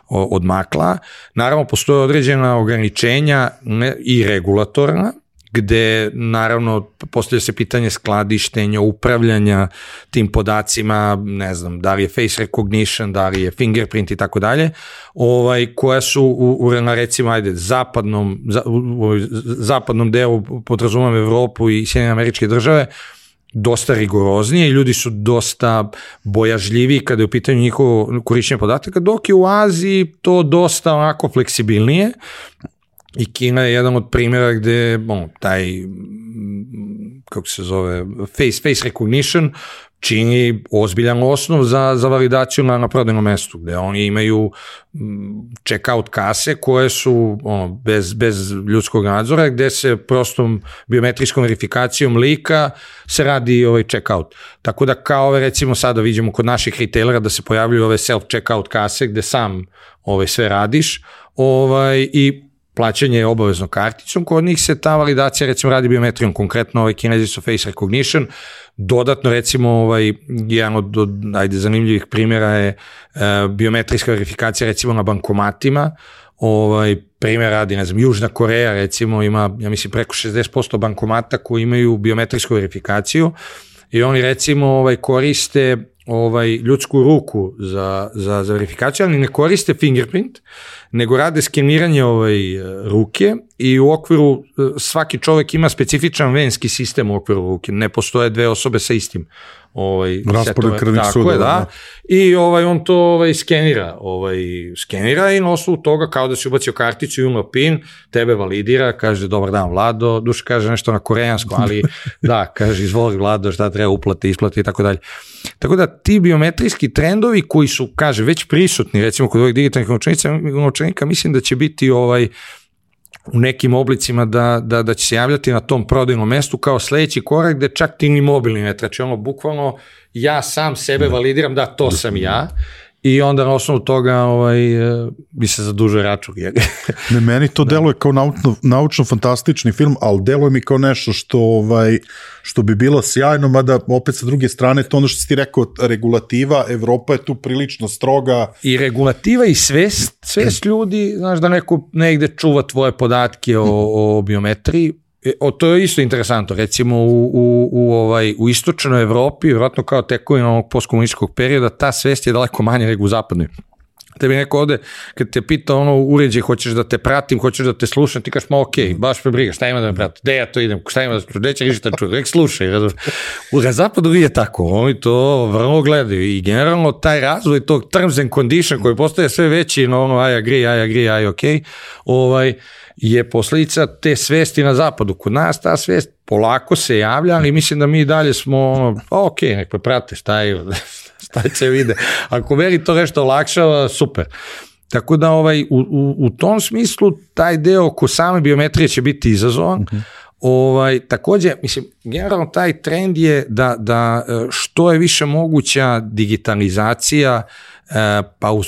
odmakla. Naravno, postoje određena ograničenja ne, i regulatorna, gde naravno postavlja se pitanje skladištenja, upravljanja tim podacima, ne znam, da li je face recognition, da li je fingerprint i tako dalje, ovaj, koja su u, u recimo, ajde, zapadnom, za, u, u zapadnom delu, podrazumijem Evropu i Sjedinjene Američke Države, dosta rigoroznije i ljudi su dosta bojažljiviji kada je u pitanju njihovo korišćenje podataka, dok je u Aziji to dosta onako fleksibilnije. I Kina je jedan od primjera gde bon, taj, kako se zove, face, face recognition čini ozbiljan osnov za, za validaciju na, na prodajnom mestu, gde oni imaju check-out kase koje su ono, bez, bez ljudskog nadzora, gde se prostom biometrijskom verifikacijom lika se radi ovaj check-out. Tako da kao ove, recimo sada vidimo kod naših retailera da se pojavljuju ove self-checkout kase gde sam ovaj, sve radiš ovaj, i plaćanje je obavezno karticom, kod njih se ta validacija recimo radi biometrijom, konkretno ovaj Kinezi su face recognition, dodatno recimo ovaj, jedan od, od ajde, zanimljivih primjera je uh, biometrijska verifikacija recimo na bankomatima, ovaj, primjer radi, ne znam, Južna Koreja recimo ima, ja mislim, preko šezdeset posto bankomata koji imaju biometrijsku verifikaciju i oni recimo ovaj, koriste ovaj, ljudsku ruku za, za, za verifikaciju, ali ne koriste fingerprint, nego rade skeniranje ovaj, ruke i u okviru, svaki čovjek ima specifičan venski sistem u okviru ruke, ne postoje dve osobe sa istim ovaj, raspored krvnih sudova. Da. I ovaj, on to ovaj, skenira, ovaj, skenira i na osnovu toga kao da si ubacio karticu i uno pin, tebe validira, kaže dobar dan Vlado, duša kaže nešto na koreansku, ali da, kaže izvoli Vlado šta treba uplati, isplati i tako dalje. Tako da ti biometrijski trendovi koji su, kaže, već prisutni, recimo kod ovih digitalnih novčanika, mislim da će biti ovaj, u nekim oblicima da, da, da će se javljati na tom prodajnom mestu kao sledeći korak gde čak ti ni mobilni ne trači, ono bukvalno ja sam sebe validiram da to sam ja i onda na osnovu toga ovaj, bi se zadužio račun. Ne, meni to deluje kao naučno, naučno-fantastični film, ali deluje mi kao nešto što, ovaj, što bi bilo sjajno, mada opet sa druge strane, to ono što si ti rekao, regulativa, Evropa je tu prilično stroga. I regulativa i svest, svest ljudi, znaš da neko negde čuva tvoje podatke o, o biometriji, O, to je isto interesantno, recimo u, u, u, ovaj, u istočnoj Evropi, vjerojatno kao tekovina ovog postkomunističkog perioda, ta svest je daleko manje nego u zapadnoj. Tebi neko ovde, kad te pita ono uređaj, hoćeš da te pratim, hoćeš da te slušam, ti kažeš, ma okej, okay, baš me briga, šta ima da me prati, gde ja to idem, šta ima da slušam, gde će rižiti da čujem, rek slušaj. U zapadu nije tako, oni to vrlo gledaju i generalno taj razvoj tog terms and condition koji postaje sve veći, no ono, I agree, I agree, I okay, ovaj, je posljedica te svesti na zapadu. Kod nas ta svest polako se javlja, ali mislim da mi dalje smo ono, ok, nek me prate, šta je, šta će vide. Ako meni to nešto olakšava, super. Tako da ovaj, u, u, u tom smislu taj deo oko same biometrije će biti izazovan. Okay. Ovaj, takođe, mislim, generalno taj trend je da, da što je više moguća digitalizacija, pa u,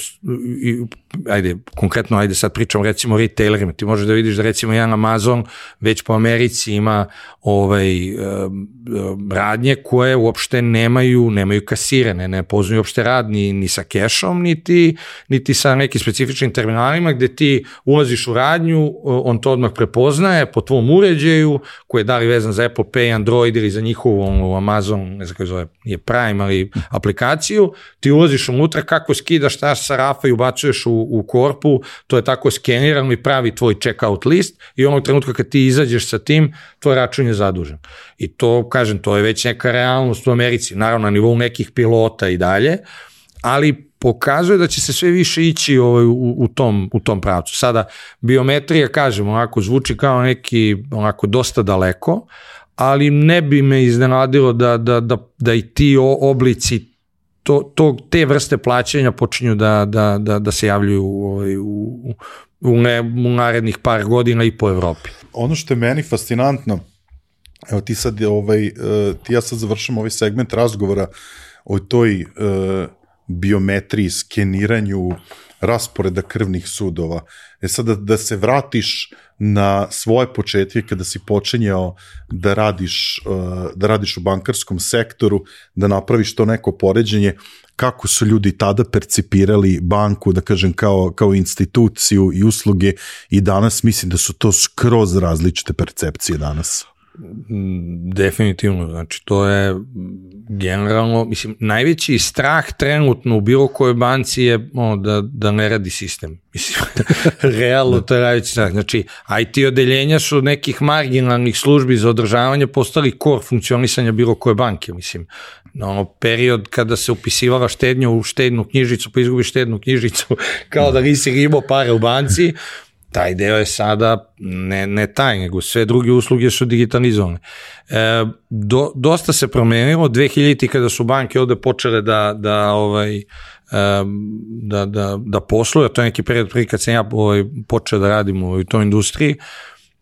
ajde, konkretno, ajde sad pričamo recimo o retailerima, ti možeš da vidiš da recimo jedan Amazon već po Americi ima ovaj, radnje koje uopšte nemaju, nemaju kasire, ne, ne poznaju uopšte rad ni, ni sa kešom, niti, niti sa nekim specifičnim terminalima gde ti ulaziš u radnju, on to odmah prepoznaje po tvom uređaju koji je da li vezan za Apple Pay, Android ili za njihovu Amazon, ne znam kako zove, je Prime, ali aplikaciju, ti ulaziš unutra, kako skidaš šta sa rafa i ubacuješ u, u korpu, to je tako skenirano i pravi tvoj checkout list i onog trenutka kad ti izađeš sa tim, tvoj račun je zadužen. I to, kažem, to je već neka realnost u Americi, naravno na nivou nekih pilota i dalje, ali pokazuje da će se sve više ići ovaj, u, u, tom, u tom pravcu. Sada, biometrija, kažem, onako zvuči kao neki, onako dosta daleko, ali ne bi me iznenadilo da, da, da, da i ti oblici To, to, te vrste plaćanja počinju da, da, da, da se javljaju u, u, u, ne, u narednih par godina i po Evropi. Ono što je meni fascinantno, evo ti sad, ovaj, ti ja sad završam ovaj segment razgovora o toj uh, biometriji, skeniranju rasporeda krvnih sudova. E sad da, da se vratiš na svoje početke kada si počinjao da radiš, uh, da radiš u bankarskom sektoru, da napraviš to neko poređenje, kako su ljudi tada percipirali banku, da kažem, kao, kao instituciju i usluge i danas mislim da su to skroz različite percepcije danas. Definitivno, znači to je generalno, mislim, najveći strah trenutno u bilo kojoj banci je o, da, da ne radi sistem. Mislim, realno to je najveći strah. Znači, I T odeljenja su nekih marginalnih službi za održavanje postali core funkcionisanja bilo koje banke, mislim. Na ono period kada se upisivala štednja u štednu knjižicu, pa izgubiš štednu knjižicu kao da nisi imao pare u banci, taj deo je sada ne, ne taj, nego sve druge usluge su digitalizovane. E, do, dosta se promenilo, dve hiljadite kada su banke ovde počele da, da, ovaj, da, da, da posluju, to je neki period prije kad sam ja ovaj, počeo da radim u toj industriji,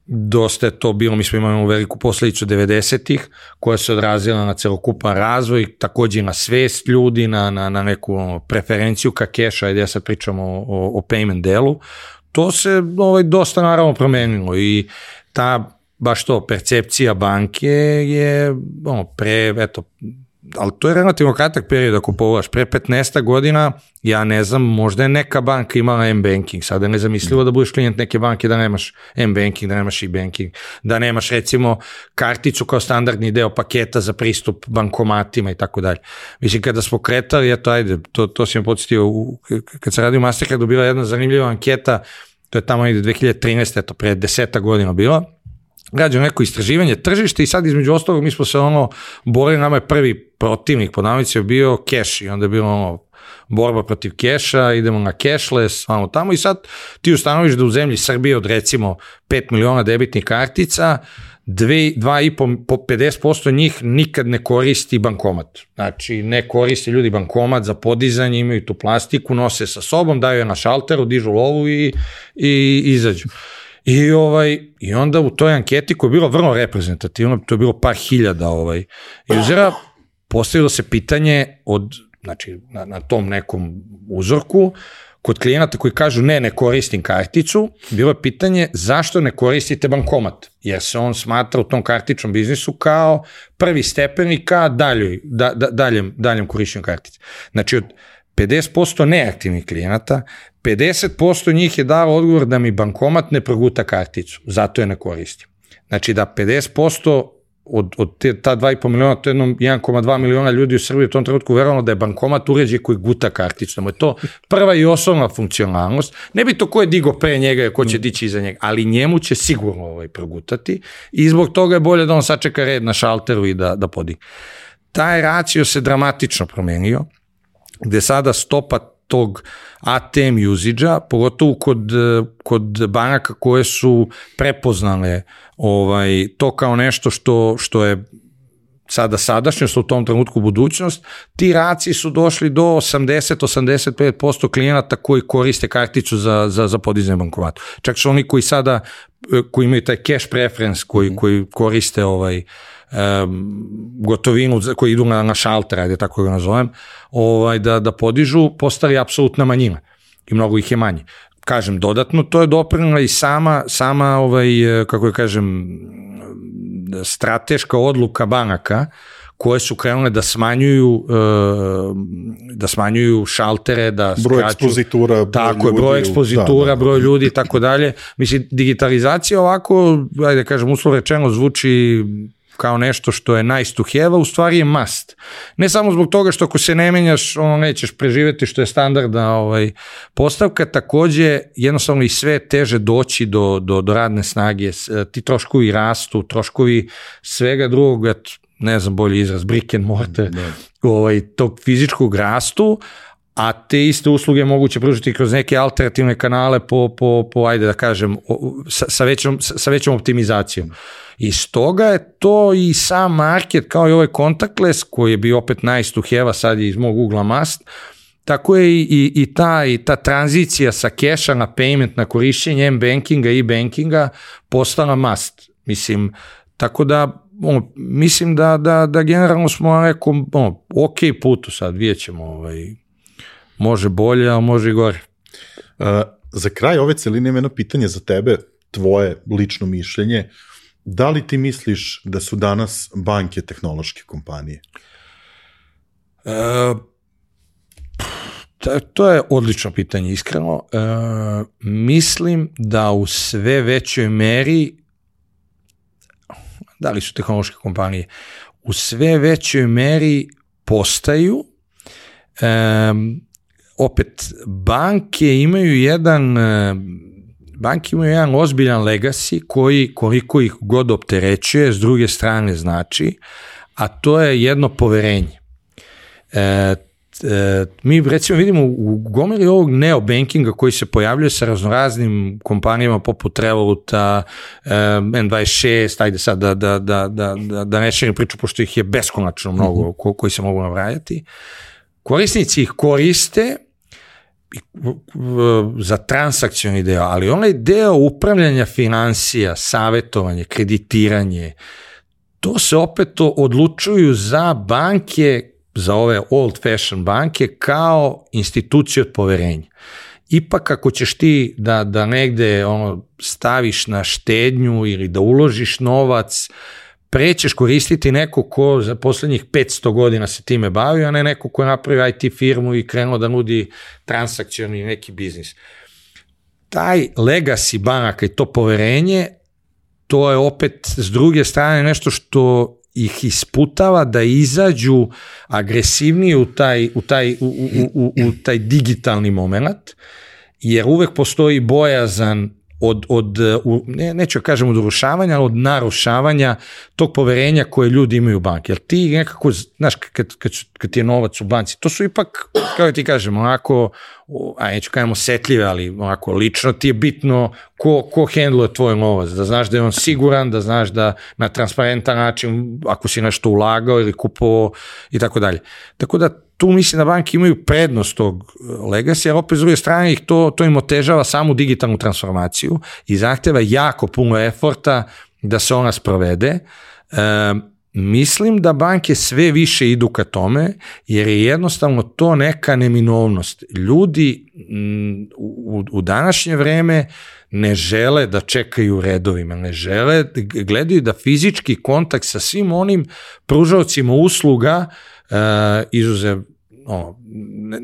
dosta je to bilo, mi smo imali veliku posledicu devedesetih koja se odrazila na celokupan razvoj, takođe i na svest ljudi, na, na, na neku preferenciju ka keša, ajde ja sad pričam o, o, o payment delu. To se ovaj, dosta naravno promenilo i ta, baš to, percepcija banke je ono, pre, eto, ali to je relativno kratak period ako pogledaš, pre petnaest godina, ja ne znam, možda je neka banka imala M-banking, sada je nezamislivo da budeš klijent neke banke da nemaš M-banking, da nemaš e-banking, da nemaš recimo karticu kao standardni deo paketa za pristup bankomatima i tako dalje. Mislim, kada smo kretali, eto, ajde, to, to si me podsjetio, kad se radi u Mastercardu, bila jedna zanimljiva anketa, to je tamo negde dve hiljade trinaeste, eto, pre deseta godina bila, građano neko istraživanje tržišta i sad između ostalog mi smo se ono borili, nama je prvi protivnik po navici bio keš i onda je bilo ono borba protiv keša, idemo na cashless, ono tamo i sad ti ustanoviš da u zemlji Srbije od recimo pet miliona debitnih kartica, dva i po pedeset posto njih nikad ne koristi bankomat. Znači ne koristi ljudi bankomat za podizanje, imaju tu plastiku, nose sa sobom, daju je na šalteru, dižu lovu i, i izađu. I, ovaj, I onda u toj anketi koja je bila vrlo reprezentativna, to je bilo par hiljada ovaj, usera, postavilo se pitanje od, znači, na, na tom nekom uzorku, kod klijenata koji kažu ne, ne koristim karticu, bilo je pitanje zašto ne koristite bankomat, jer se on smatra u tom kartičnom biznisu kao prvi stepenik ka daljoj, da, da, daljem, daljem korišćenju kartice. Znači od pedeset posto neaktivnih klijenata, pedeset posto njih je dalo odgovor da mi bankomat ne proguta karticu, zato je ne koristim. Znači da pedeset posto od, od te, ta dva i po miliona, to je jedno jedan zarez dva miliona ljudi u Srbiji u tom trenutku verovalo da je bankomat uređaj koji guta karticu, da je to prva i osnovna funkcionalnost. Ne bi to ko je digo pre njega, ko će dići iza njega, ali njemu će sigurno ovaj progutati i zbog toga je bolje da on sačeka red na šalteru i da, da podigne. Taj racio se dramatično promenio, gde sada stopa tog A T M usage-a, pogotovo kod, kod banaka koje su prepoznale ovaj, to kao nešto što, što je sada sadašnjost, u tom trenutku budućnost, ti raci su došli do osamdeset do osamdeset pet posto klijenata koji koriste karticu za, za, za podizanje bankomata. Čak su oni koji sada, koji imaju taj cash preference, koji, koji koriste ovaj, gotovinu koji idu na, na šalter, ajde tako ga nazovem, ovaj, da, da podižu, postali apsolutna manjina i mnogo ih je manje. Kažem, dodatno, to je doprinela i sama, sama ovaj, kako je kažem, strateška odluka banaka koje su krenule da smanjuju da smanjuju šaltere, da broj skraću, ekspozitura, tako je, broj ekspozitura, da, da. broj ljudi i tako dalje. Mislim, digitalizacija ovako, ajde kažem, uslovno rečeno zvuči kao nešto što je nice to have, u stvari je must. Ne samo zbog toga što ako se ne menjaš, ono nećeš preživeti, što je standardna ovaj, postavka, takođe jednostavno i sve teže doći do, do, do radne snage, ti troškovi rastu, troškovi svega drugog, ne znam bolji izraz, brick and mortar, ovaj, tog fizičkog rastu, a te iste usluge moguće pružiti kroz neke alternativne kanale po, po, po ajde da kažem, sa, sa, većom, sa većom optimizacijom. I stoga je to i sam market, kao i ovaj contactless, koji je bio opet nice to have, a sad je iz mog ugla must, tako je i, i, i, ta, i ta tranzicija sa keša na payment, na korišćenje m-bankinga i bankinga postala must. Mislim, tako da ono, mislim da, da, da generalno smo na nekom ono, ok putu sad, vidjet ćemo, ovaj, može bolje, a može i gore. Uh, za kraj ove celine imam jedno pitanje za tebe, tvoje lično mišljenje. Da li ti misliš da su danas banke tehnološke kompanije? Uh, to je odlično pitanje, iskreno. Uh, mislim da u sve većoj meri, da li su tehnološke kompanije, u sve većoj meri postaju. Um, opet, banke imaju jedan banke imaju jedan ozbiljan legacy koji koliko ih god opterećuje, s druge strane znači, a to je jedno poverenje. E, e, mi recimo vidimo u gomili ovog neobankinga koji se pojavljuje sa raznoraznim kompanijama poput Revoluta, en dvadeset šest, ajde sad da, da, da, da, da ne širim priču, pošto ih je beskonačno mnogo mm-hmm. koji se mogu nabrajati. Korisnici ih koriste za transakcioni deo, ali onaj deo upravljanja financija, savjetovanje, kreditiranje, to se opet odlučuju za banke, za ove old fashion banke, kao institucije od poverenja. Ipak ako ćeš ti da, da negde ono, staviš na štednju ili da uložiš novac, prećeš koristiti neko ko za poslednjih petsto godina se time bavi, a ne neko ko je napravio i te firmu i krenuo da nudi transakcioni neki biznis. Taj legacy banaka i to poverenje, to je opet s druge strane nešto što ih isputava da izađu agresivnije u taj, u taj, u, u, u, u taj digitalni moment, jer uvek postoji bojazan od, od ne, neću kažem od urušavanja, ali od narušavanja tog poverenja koje ljudi imaju u banki. Jer ti nekako, znaš, kad, kad, kad ti je novac u banci, to su ipak, kao ti kažem, onako, a neću kažem osetljive, ali onako lično ti je bitno ko, ko hendluje tvoj novac, da znaš da je on siguran, da znaš da na transparentan način, ako si nešto ulagao ili kupovao i tako dalje. Tako da tu mislim da banke imaju prednost tog legacy, jer opet s druge strane ih to, to im otežava samu digitalnu transformaciju i zahteva jako puno eforta da se ona sprovede. E, mislim da banke sve više idu ka tome, jer je jednostavno to neka neminovnost. Ljudi m, u, u današnje vreme ne žele da čekaju u redovima, ne žele, gledaju da fizički kontakt sa svim onim pružaocima usluga, Uh, izuzev ono, ne,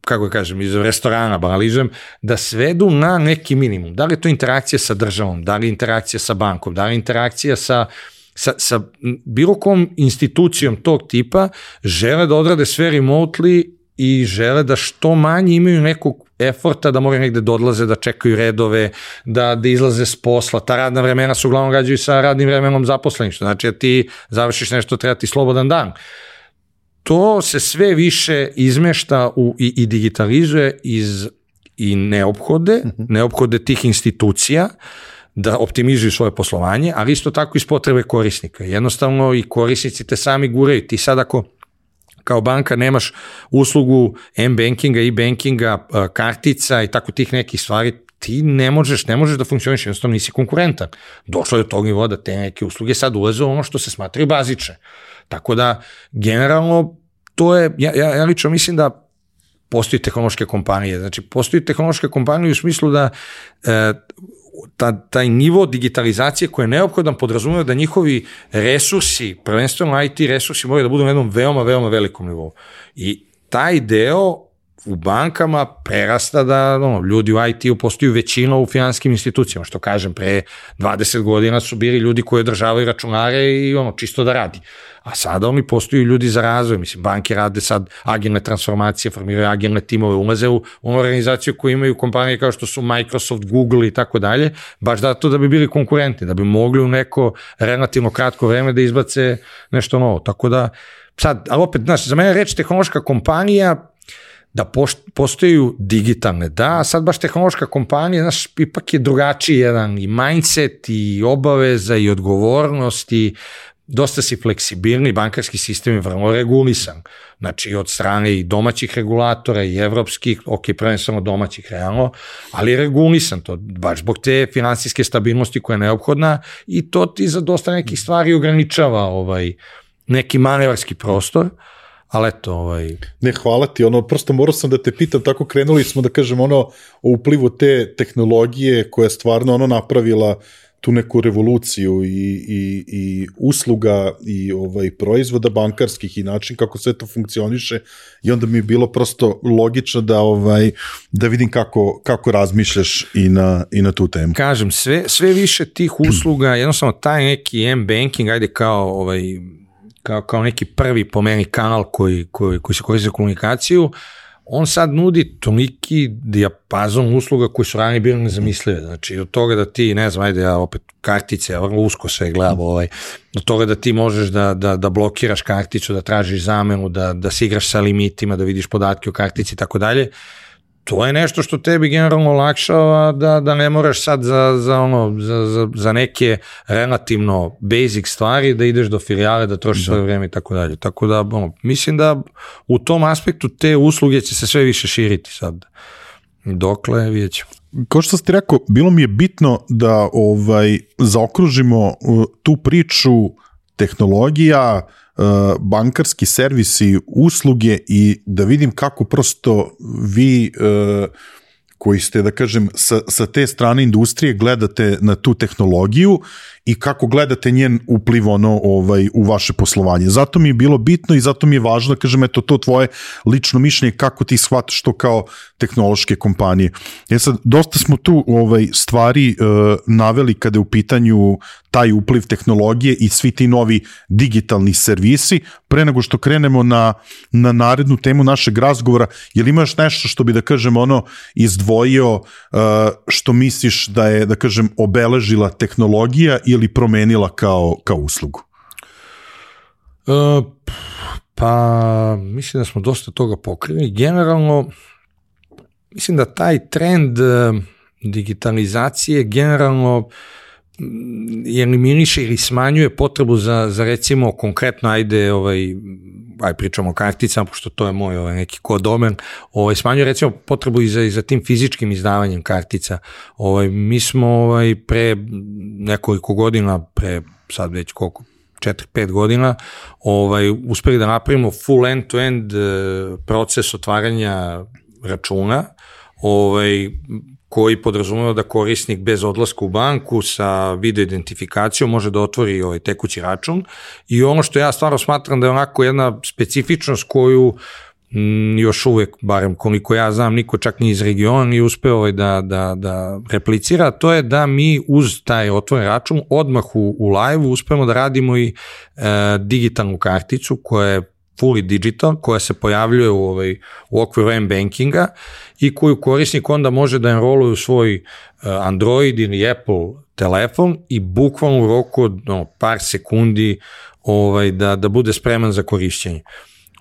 kako kažem, izuzev restorana, banalizujem, da svedu na neki minimum. Da li je to interakcija sa državom, da li je interakcija sa bankom, da li je interakcija sa, sa, sa bilo kom institucijom tog tipa, žele da odrade sve remotely i žele da što manje imaju nekog eforta da moraju negde da odlaze, da čekaju redove, da, da izlaze s posla. Ta radna vremena se uglavnom gađaju sa radnim vremenom zaposlenih, što znači da ti završiš nešto, treba ti slobodan dan. To se sve više izmešta u, i, i digitalizuje iz i neophode, uh-huh. neophode tih institucija da optimizuju svoje poslovanje, ali isto tako iz potrebe korisnika. Jednostavno i korisnici te sami guraju. Ti sad ako kao banka nemaš uslugu m-bankinga, e-bankinga, kartica i tako tih nekih stvari, ti ne možeš, ne možeš da funkcioniš, jednostavno nisi konkurentan. Došlo je do tog nivoa da te neke usluge sad ulaze u ono što se smatraju bazične. Tako da, generalno, to je, ja, ja, ja lično mislim da postoji tehnološke kompanije, znači postoji tehnološke kompanije u smislu da e, ta, taj nivo digitalizacije koji je neophodan podrazumeva da njihovi resursi, prvenstveno I T resursi moraju da budu na jednom veoma, veoma velikom nivou. I taj deo u bankama prerasta da ono, ljudi u I T-u postaju većina u finanskim institucijama, što kažem, pre dvadeset godina su bili ljudi koji održavaju računare i ono, čisto da radi. A sada oni postaju ljudi za razvoj, mislim, banke rade sad agilne transformacije, formiraju agilne timove, ulaze u onu organizaciju koju imaju kompanije kao što su Microsoft, Google i tako dalje, baš da to da bi bili konkurenti, da bi mogli u neko relativno kratko vreme da izbace nešto novo. Tako da, sad, ali opet, znaš, za mene reč tehnološka kompanija, da postaju digitalne, da, a sad baš tehnološka kompanija, znaš, ipak je drugačiji jedan i mindset i obaveza i odgovornost i dosta si fleksibilni, bankarski sistem je vrlo regulisan, znači od strane i domaćih regulatora i evropskih, ok, prvenstveno domaćih realno, ali je regulisan to, baš zbog te finansijske stabilnosti koja je neophodna i to ti za dosta nekih stvari ograničava ovaj, neki manevarski prostor, ali eto, ovaj... Ne, hvala ti, ono, prosto morao sam da te pitam, tako krenuli smo da kažem ono o uplivu te tehnologije koja je stvarno ono napravila tu neku revoluciju i, i, i usluga i ovaj proizvoda bankarskih i način kako sve to funkcioniše i onda mi je bilo prosto logično da ovaj da vidim kako, kako razmišljaš i na, i na tu temu. Kažem, sve, sve više tih usluga, jednostavno taj neki M-banking, ajde kao ovaj Kao, kao neki prvi po meni kanal koji, koji, koji se koristi za komunikaciju, on sad nudi toliki dijapazon usluga koji su ranije bili nezamislive. Znači, od toga da ti, ne znam, ajde, ja opet kartice, ja vrlo usko sve gledam, ovaj, od toga da ti možeš da, da, da blokiraš karticu, da tražiš zamenu, da, da se igraš sa limitima, da vidiš podatke o kartici i tako dalje, to je nešto što tebi generalno olakšava da, da ne moraš sad za, za, ono, za, za, za neke relativno basic stvari da ideš do filijale, da trošiš svoje vreme i tako dalje. Tako da, ono, mislim da u tom aspektu te usluge će se sve više širiti sad. Dokle, vidjet ćemo. Kao što ste rekao, bilo mi je bitno da ovaj zaokružimo tu priču tehnologija, bankarski servisi, usluge i da vidim kako prosto vi koji ste, da kažem, sa, sa te strane industrije gledate na tu tehnologiju i kako gledate njen upliv ono, ovaj, u vaše poslovanje. Zato mi je bilo bitno i zato mi je važno da kažem, eto, to tvoje lično mišljenje kako ti shvataš to kao tehnološke kompanije. Ja sad, dosta smo tu ovaj, stvari uh, naveli kada je u pitanju taj upliv tehnologije i svi ti novi digitalni servisi. Pre nego što krenemo na, na narednu temu našeg razgovora, je li imaš nešto što bi, da kažem, ono, izdvojio uh, što misliš da je, da kažem, obeležila tehnologija ili promenila kao, kao uslugu? Uh, pa, mislim da smo dosta toga pokrili. Generalno, mislim da taj trend uh, digitalizacije generalno eliminiše ili smanjuje potrebu za, za recimo konkretno, ajde, ovaj, aj pričamo o karticama, pošto to je moj ovaj, neki kodomen, ovaj, smanjuje recimo potrebu i za, i za tim fizičkim izdavanjem kartica. Ovaj, mi smo ovaj, pre nekoliko godina, pre sad već koliko, četiri pet godina, ovaj, uspeli da napravimo full end-to-end proces otvaranja računa, ovaj, koji podrazumeva da korisnik bez odlaska u banku sa video identifikacijom može da otvori ovaj tekući račun i ono što ja stvarno smatram da je onako jedna specifičnost koju m, još uvek, barem koliko ja znam, niko čak ni iz regiona nije uspeo ovaj da, da, da replicira, to je da mi uz taj otvoren račun odmah u, u live-u uspemo da radimo i e, digitalnu karticu koja je fully digital, koja se pojavljuje u, ovaj, u okviru M-bankinga i koju korisnik onda može da enroluje u svoj uh, Android ili Apple telefon i bukvalno u roku od no, par sekundi ovaj, da, da bude spreman za korišćenje.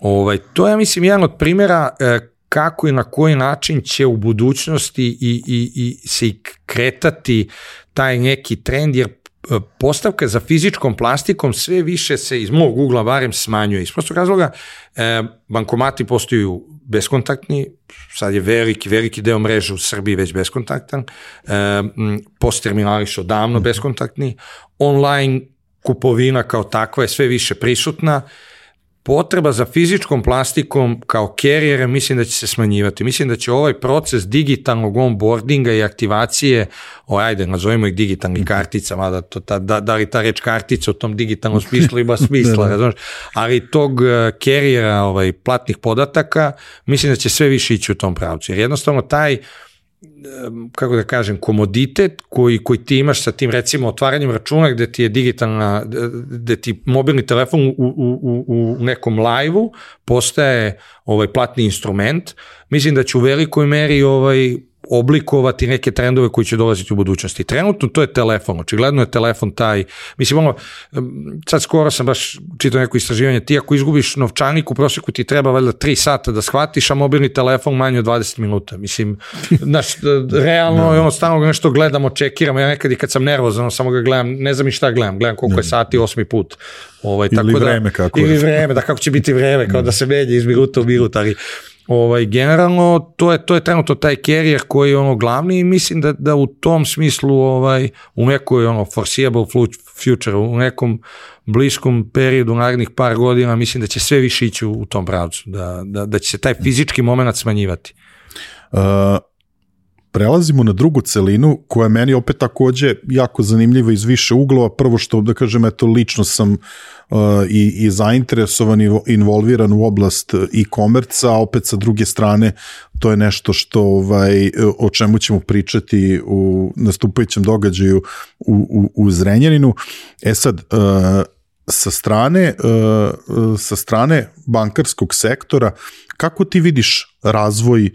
Ovaj, to je, mislim, jedan od primjera uh, kako i na koji način će u budućnosti i, i, i se i kretati taj neki trend, jer postavka za fizičkom plastikom sve više se iz mog ugla barem smanjuje. Iz prostog razloga, e, bankomati postaju beskontaktni, sad je veliki, veliki deo mreže u Srbiji već beskontaktan, post terminali su odavno beskontaktni, online kupovina kao takva je sve više prisutna, potreba za fizičkom plastikom kao carrier mislim da će se smanjivati. Mislim da će ovaj proces digitalnog onboardinga i aktivacije, o, ajde, nazovimo ih digitalnih kartica, mada to, ta, da, da li ta reč kartica u tom digitalnom smislu ima smisla, razumiješ, ali tog carriera, ovaj, platnih podataka, mislim da će sve više ići u tom pravcu. Jer jednostavno taj, kako da kažem, komoditet koji, koji ti imaš sa tim, recimo, otvaranjem računa gde ti je digitalna, gde ti mobilni telefon u, u, u, u nekom live-u postaje ovaj platni instrument, mislim da će u velikoj meri ovaj oblikovati neke trendove koji će dolaziti u budućnosti. Trenutno to je telefon, očigledno je telefon taj, mislim, ono, sad skoro sam baš čitao neko istraživanje, ti ako izgubiš novčanik, u prosjeku ti treba valjda tri sata da shvatiš, a mobilni telefon manje od dvadeset minuta, mislim, znaš, realno je ono, stalno nešto gledamo, čekiramo, ja nekad i kad sam nervozan, samo ga gledam, ne znam i šta gledam, gledam koliko je sati, osmi put. Ovaj, ili tako vreme da, kako ili je. vreme, da kako će biti vreme, kao da se menja iz minuta u minut, ali ovaj, generalno, to je, to je trenutno taj carrier koji je ono glavni i mislim da, da u tom smislu ovaj, u nekoj ono foreseeable future, u nekom bliskom periodu narednih par godina mislim da će sve više ići u, u tom pravcu, da, da, da će se taj fizički moment smanjivati. Uh, prelazimo na drugu celinu koja je meni opet takođe jako zanimljiva iz više uglova. Prvo što da kažem, eto lično sam uh, i, i zainteresovan i involviran u oblast e-komerca, a opet sa druge strane to je nešto što ovaj, o čemu ćemo pričati u nastupajućem događaju u, u, u Zrenjaninu. E sad, uh, sa strane, uh, sa strane bankarskog sektora, kako ti vidiš razvoj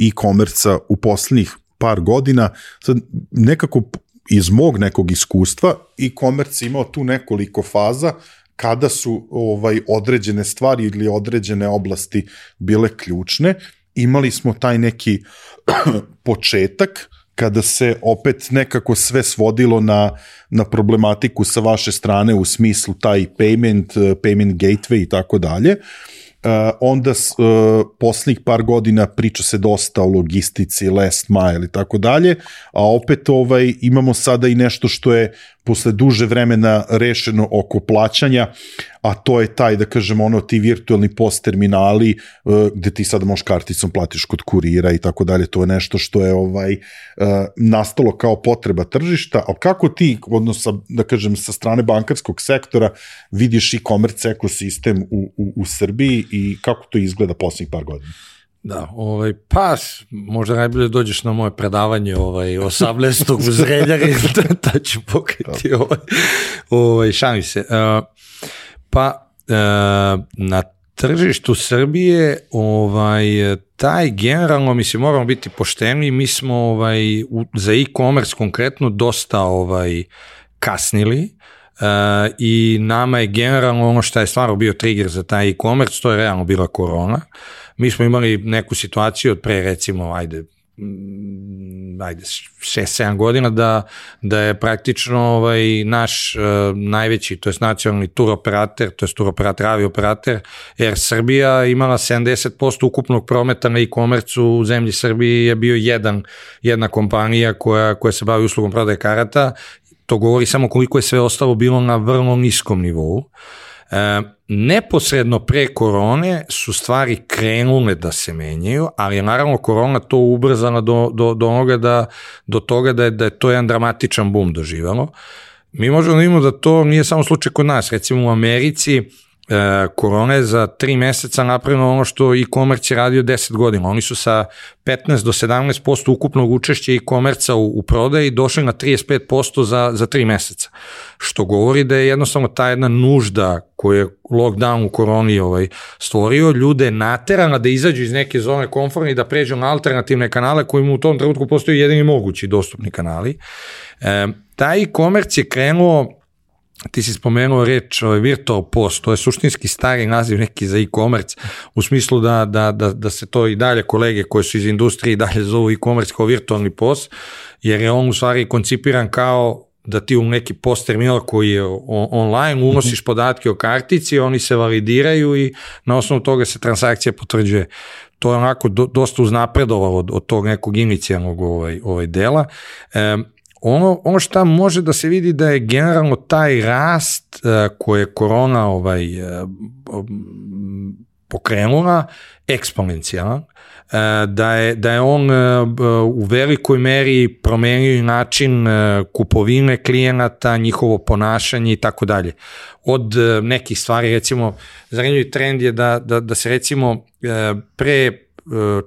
e-komerca u poslednjih par godina? Sad, nekako iz mog nekog iskustva e-komerc imao tu nekoliko faza kada su ovaj određene stvari ili određene oblasti bile ključne. Imali smo taj neki početak kada se opet nekako sve svodilo na, na problematiku sa vaše strane u smislu taj payment, payment gateway i tako dalje. Uh, onda uh, poslednjih par godina priča se dosta o logistici, last mile i tako dalje, a opet ovaj, imamo sada i nešto što je posle duže vremena rešeno oko plaćanja, a to je taj, da kažem, ono, ti virtualni post terminali uh, gde ti sada možeš karticom platiš kod kurira i tako dalje, to je nešto što je ovaj uh, nastalo kao potreba tržišta, ali kako ti, odnosno, da kažem, sa strane bankarskog sektora vidiš e-commerce ekosistem u, u, u Srbiji i kako to izgleda poslednjih par godina? Da, ovaj, pa, možda najbolje dođeš na moje predavanje ovaj, osamnaestog u Zrenjaninu, da ću pokriti ovaj, ovaj, šalim se. Uh, pa, uh, na tržištu Srbije, ovaj, taj generalno, mislim, moramo biti pošteni, mi smo ovaj, u, za e-commerce konkretno dosta ovaj, kasnili, Uh, i nama je generalno ono što je stvarno bio trigger za taj e-commerce, to je realno bila korona. Mi smo imali neku situaciju od pre, recimo, ajde, ajde šest sedam godina da, da je praktično ovaj, naš uh, najveći, to je nacionalni tur operator, to je tur operator, avi operator, Air Srbija imala sedamdeset posto ukupnog prometa na e-commerce u zemlji Srbiji je bio jedan, jedna kompanija koja, koja se bavi uslugom prodaje karata. To govori samo koliko je sve ostalo bilo na vrlo niskom nivou. E, neposredno pre korone su stvari krenule da se menjaju, ali je naravno korona to ubrzala do, do, do, onoga da, do toga da je, da je to jedan dramatičan boom doživalo. Mi možemo da imamo da to nije samo slučaj kod nas. Recimo u Americi E, korona je za tri meseca napravljeno ono što e-commerce je radio deset godina. Oni su sa petnaest do sedamnaest posto ukupnog učešća e-commerca u, u prodaji došli na trideset pet posto za, za tri meseca. Što govori da je jednostavno ta jedna nužda koju je lockdown u koroni ovaj, stvorio, ljude naterana da izađu iz neke zone komfortne i da pređu na alternativne kanale koji mu u tom trenutku postoji jedini mogući dostupni kanali. E, taj e-commerce je krenuo, ti si spomenuo reč ovaj, virtual post, to je suštinski stari naziv neki za e-commerce, u smislu da, da, da, da se to i dalje kolege koje su iz industrije i dalje zovu e-commerce kao virtualni post, jer je on u stvari koncipiran kao da ti u neki post terminal koji je online unosiš podatke o kartici, oni se validiraju i na osnovu toga se transakcija potvrđuje. to je onako do, dosta uznapredovalo od, od tog nekog inicijalnog ovaj, ovaj dela. E, ono, ono šta može da se vidi da je generalno taj rast e, koje je korona ovaj, e, pokrenula eksponencijalan, da je, da je on u velikoj meri promenio način kupovine klijenata, njihovo ponašanje i tako dalje. Od nekih stvari, recimo, zanimljiv trend je da, da, da se recimo pre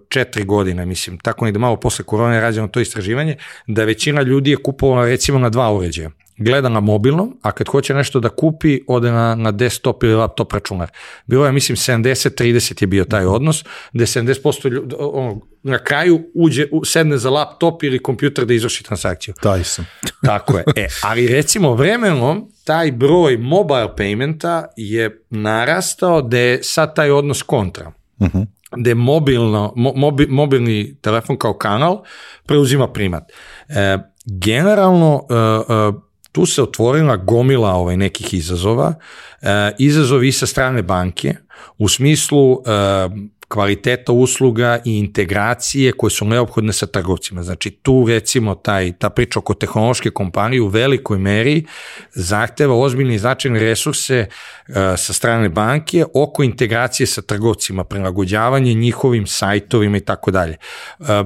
četiri godine, mislim, tako ne da malo posle korone je rađeno to istraživanje, da većina ljudi je kupovala recimo na dva uređaja. Gleda na mobilnom, a kad hoće nešto da kupi, ode na, na desktop ili laptop računar. Bilo je, mislim, sedamdeset trideset je bio taj odnos, gde sedamdeset posto ljudi, ono, na kraju uđe, sedne za laptop ili kompjuter da izvrši transakciju. Taj sam. Tako je. E, ali recimo vremenom taj broj mobile paymenta je narastao da je sad taj odnos kontra. Uh-huh. Da je mobilno, mobi, mobilni telefon kao kanal preuzima primat. E, generalno, e, e, tu se otvorila gomila ovaj nekih izazova, e, izazovi i sa strane banke, u smislu e, kvaliteta usluga i integracije koje su neophodne sa trgovcima. Znači tu recimo taj, ta priča oko tehnološke kompanije u velikoj meri zahteva ozbiljne i značajne resurse uh, sa strane banke oko integracije sa trgovcima, prilagođavanje njihovim sajtovima i tako dalje.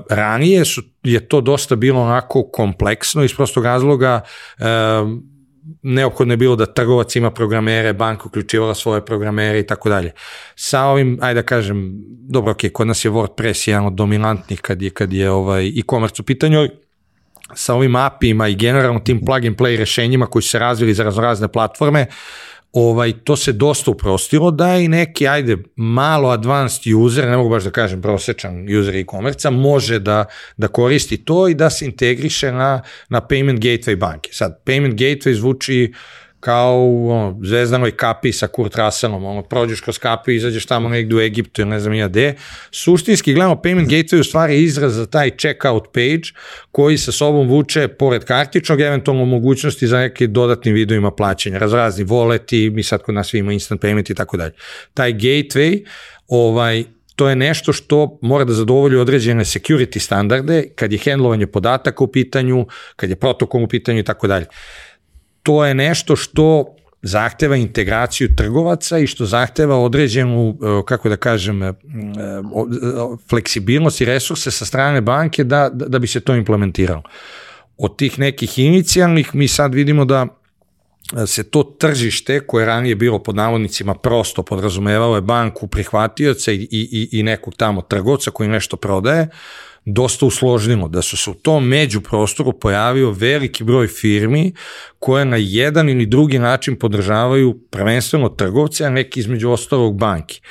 Ranije su, je to dosta bilo onako kompleksno iz prostog razloga uh, neophodno je bilo da trgovac ima programere, banka uključivala svoje programere i tako dalje. Sa ovim, ajde da kažem, dobro, ok, kod nas je WordPress jedan od dominantnih kad je, kad je ovaj e-commerce u pitanju, sa ovim A P I-ima i generalno tim plug and play rešenjima koji su se razvili za raznorazne platforme, ovaj, to se dosta uprostilo da je i neki, ajde, malo advanced user, ne mogu baš da kažem prosječan user e-commerce, može da, da koristi to i da se integriše na, na payment gateway banke. Sad, payment gateway zvuči kao ono, zvezdanoj kapiji sa Kurt Russellom, ono, prođeš kroz kapiju, izađeš tamo negdje u Egiptu ili ne znam ja gde. Suštinski gledamo, payment gateway u stvari izraz za taj checkout page koji sa sobom vuče pored kartičnog, eventualno mogućnosti za neke dodatnim vidovima plaćanja, razrazni voleti, mi sad kod nas svi ima instant payment i tako dalje. Taj gateway, ovaj, to je nešto što mora da zadovolji određene security standarde kad je handlovanje podataka u pitanju, kad je protokol u pitanju i tako dalje. To je nešto što zahteva integraciju trgovaca i što zahteva određenu, kako da kažem, fleksibilnost i resurse sa strane banke da, da bi se to implementiralo. Od tih nekih inicijalnih mi sad vidimo da se to tržište koje je ranije bilo pod navodnicima prosto podrazumevalo je banku prihvatioca i, i, i nekog tamo trgovca koji nešto prodaje, dosta usložnilo, da su se u tom međuprostoru pojavio veliki broj firmi koje na jedan ili drugi način podržavaju prvenstveno trgovce, a neki između ostalog banki.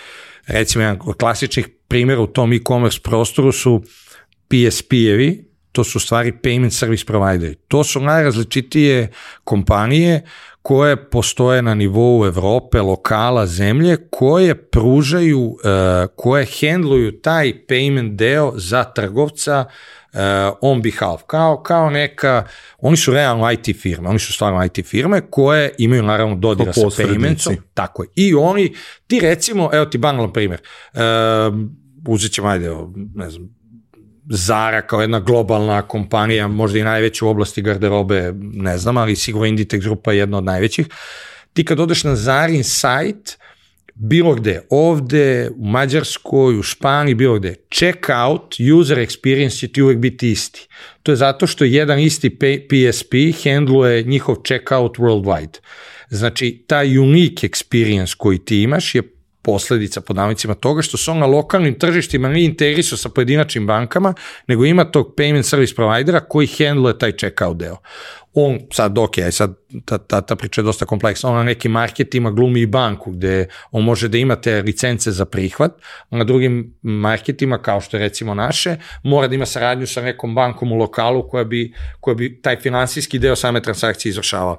Recimo, jedan od klasičnih primjera u tom e-commerce prostoru su P S P-evi, to su u stvari payment service provideri. To su najrazličitije kompanije koje postoje na nivou Evrope, lokala, zemlje, koje pružaju, koje handluju taj payment deo za trgovca on behalf, kao, kao neka, oni su realno I T firme, oni su stvarno I T firme koje imaju naravno dodira sa paymentsom, tako je. I oni, ti recimo, evo ti banalan primjer, uzet ćemo, ajde, ne znam, Zara kao jedna globalna kompanija, možda i najveća u oblasti garderobe, ne znam, ali sigurno Inditex grupa je jedna od najvećih. Ti kad odeš na Zarin sajt, bilo gde, ovde, u Mađarskoj, u Španiji, bilo gde, checkout, user experience će ti uvek biti isti. To je zato što jedan isti P S P handluje njihov checkout worldwide. Znači, taj unique experience koji ti imaš je posledica pod navodnicima toga što se on na lokalnim tržištima nije integrisao sa pojedinačnim bankama, nego ima tog payment service providera koji handluje taj checkout deo. On sad, ok, sad ta, ta, ta priča je dosta kompleksna, on na nekim marketima glumi i banku gde on može da imate licence za prihvat, a na drugim marketima, kao što je recimo naše, mora da ima saradnju sa nekom bankom u lokalu koja bi, koja bi taj finansijski deo same transakcije izvršavala.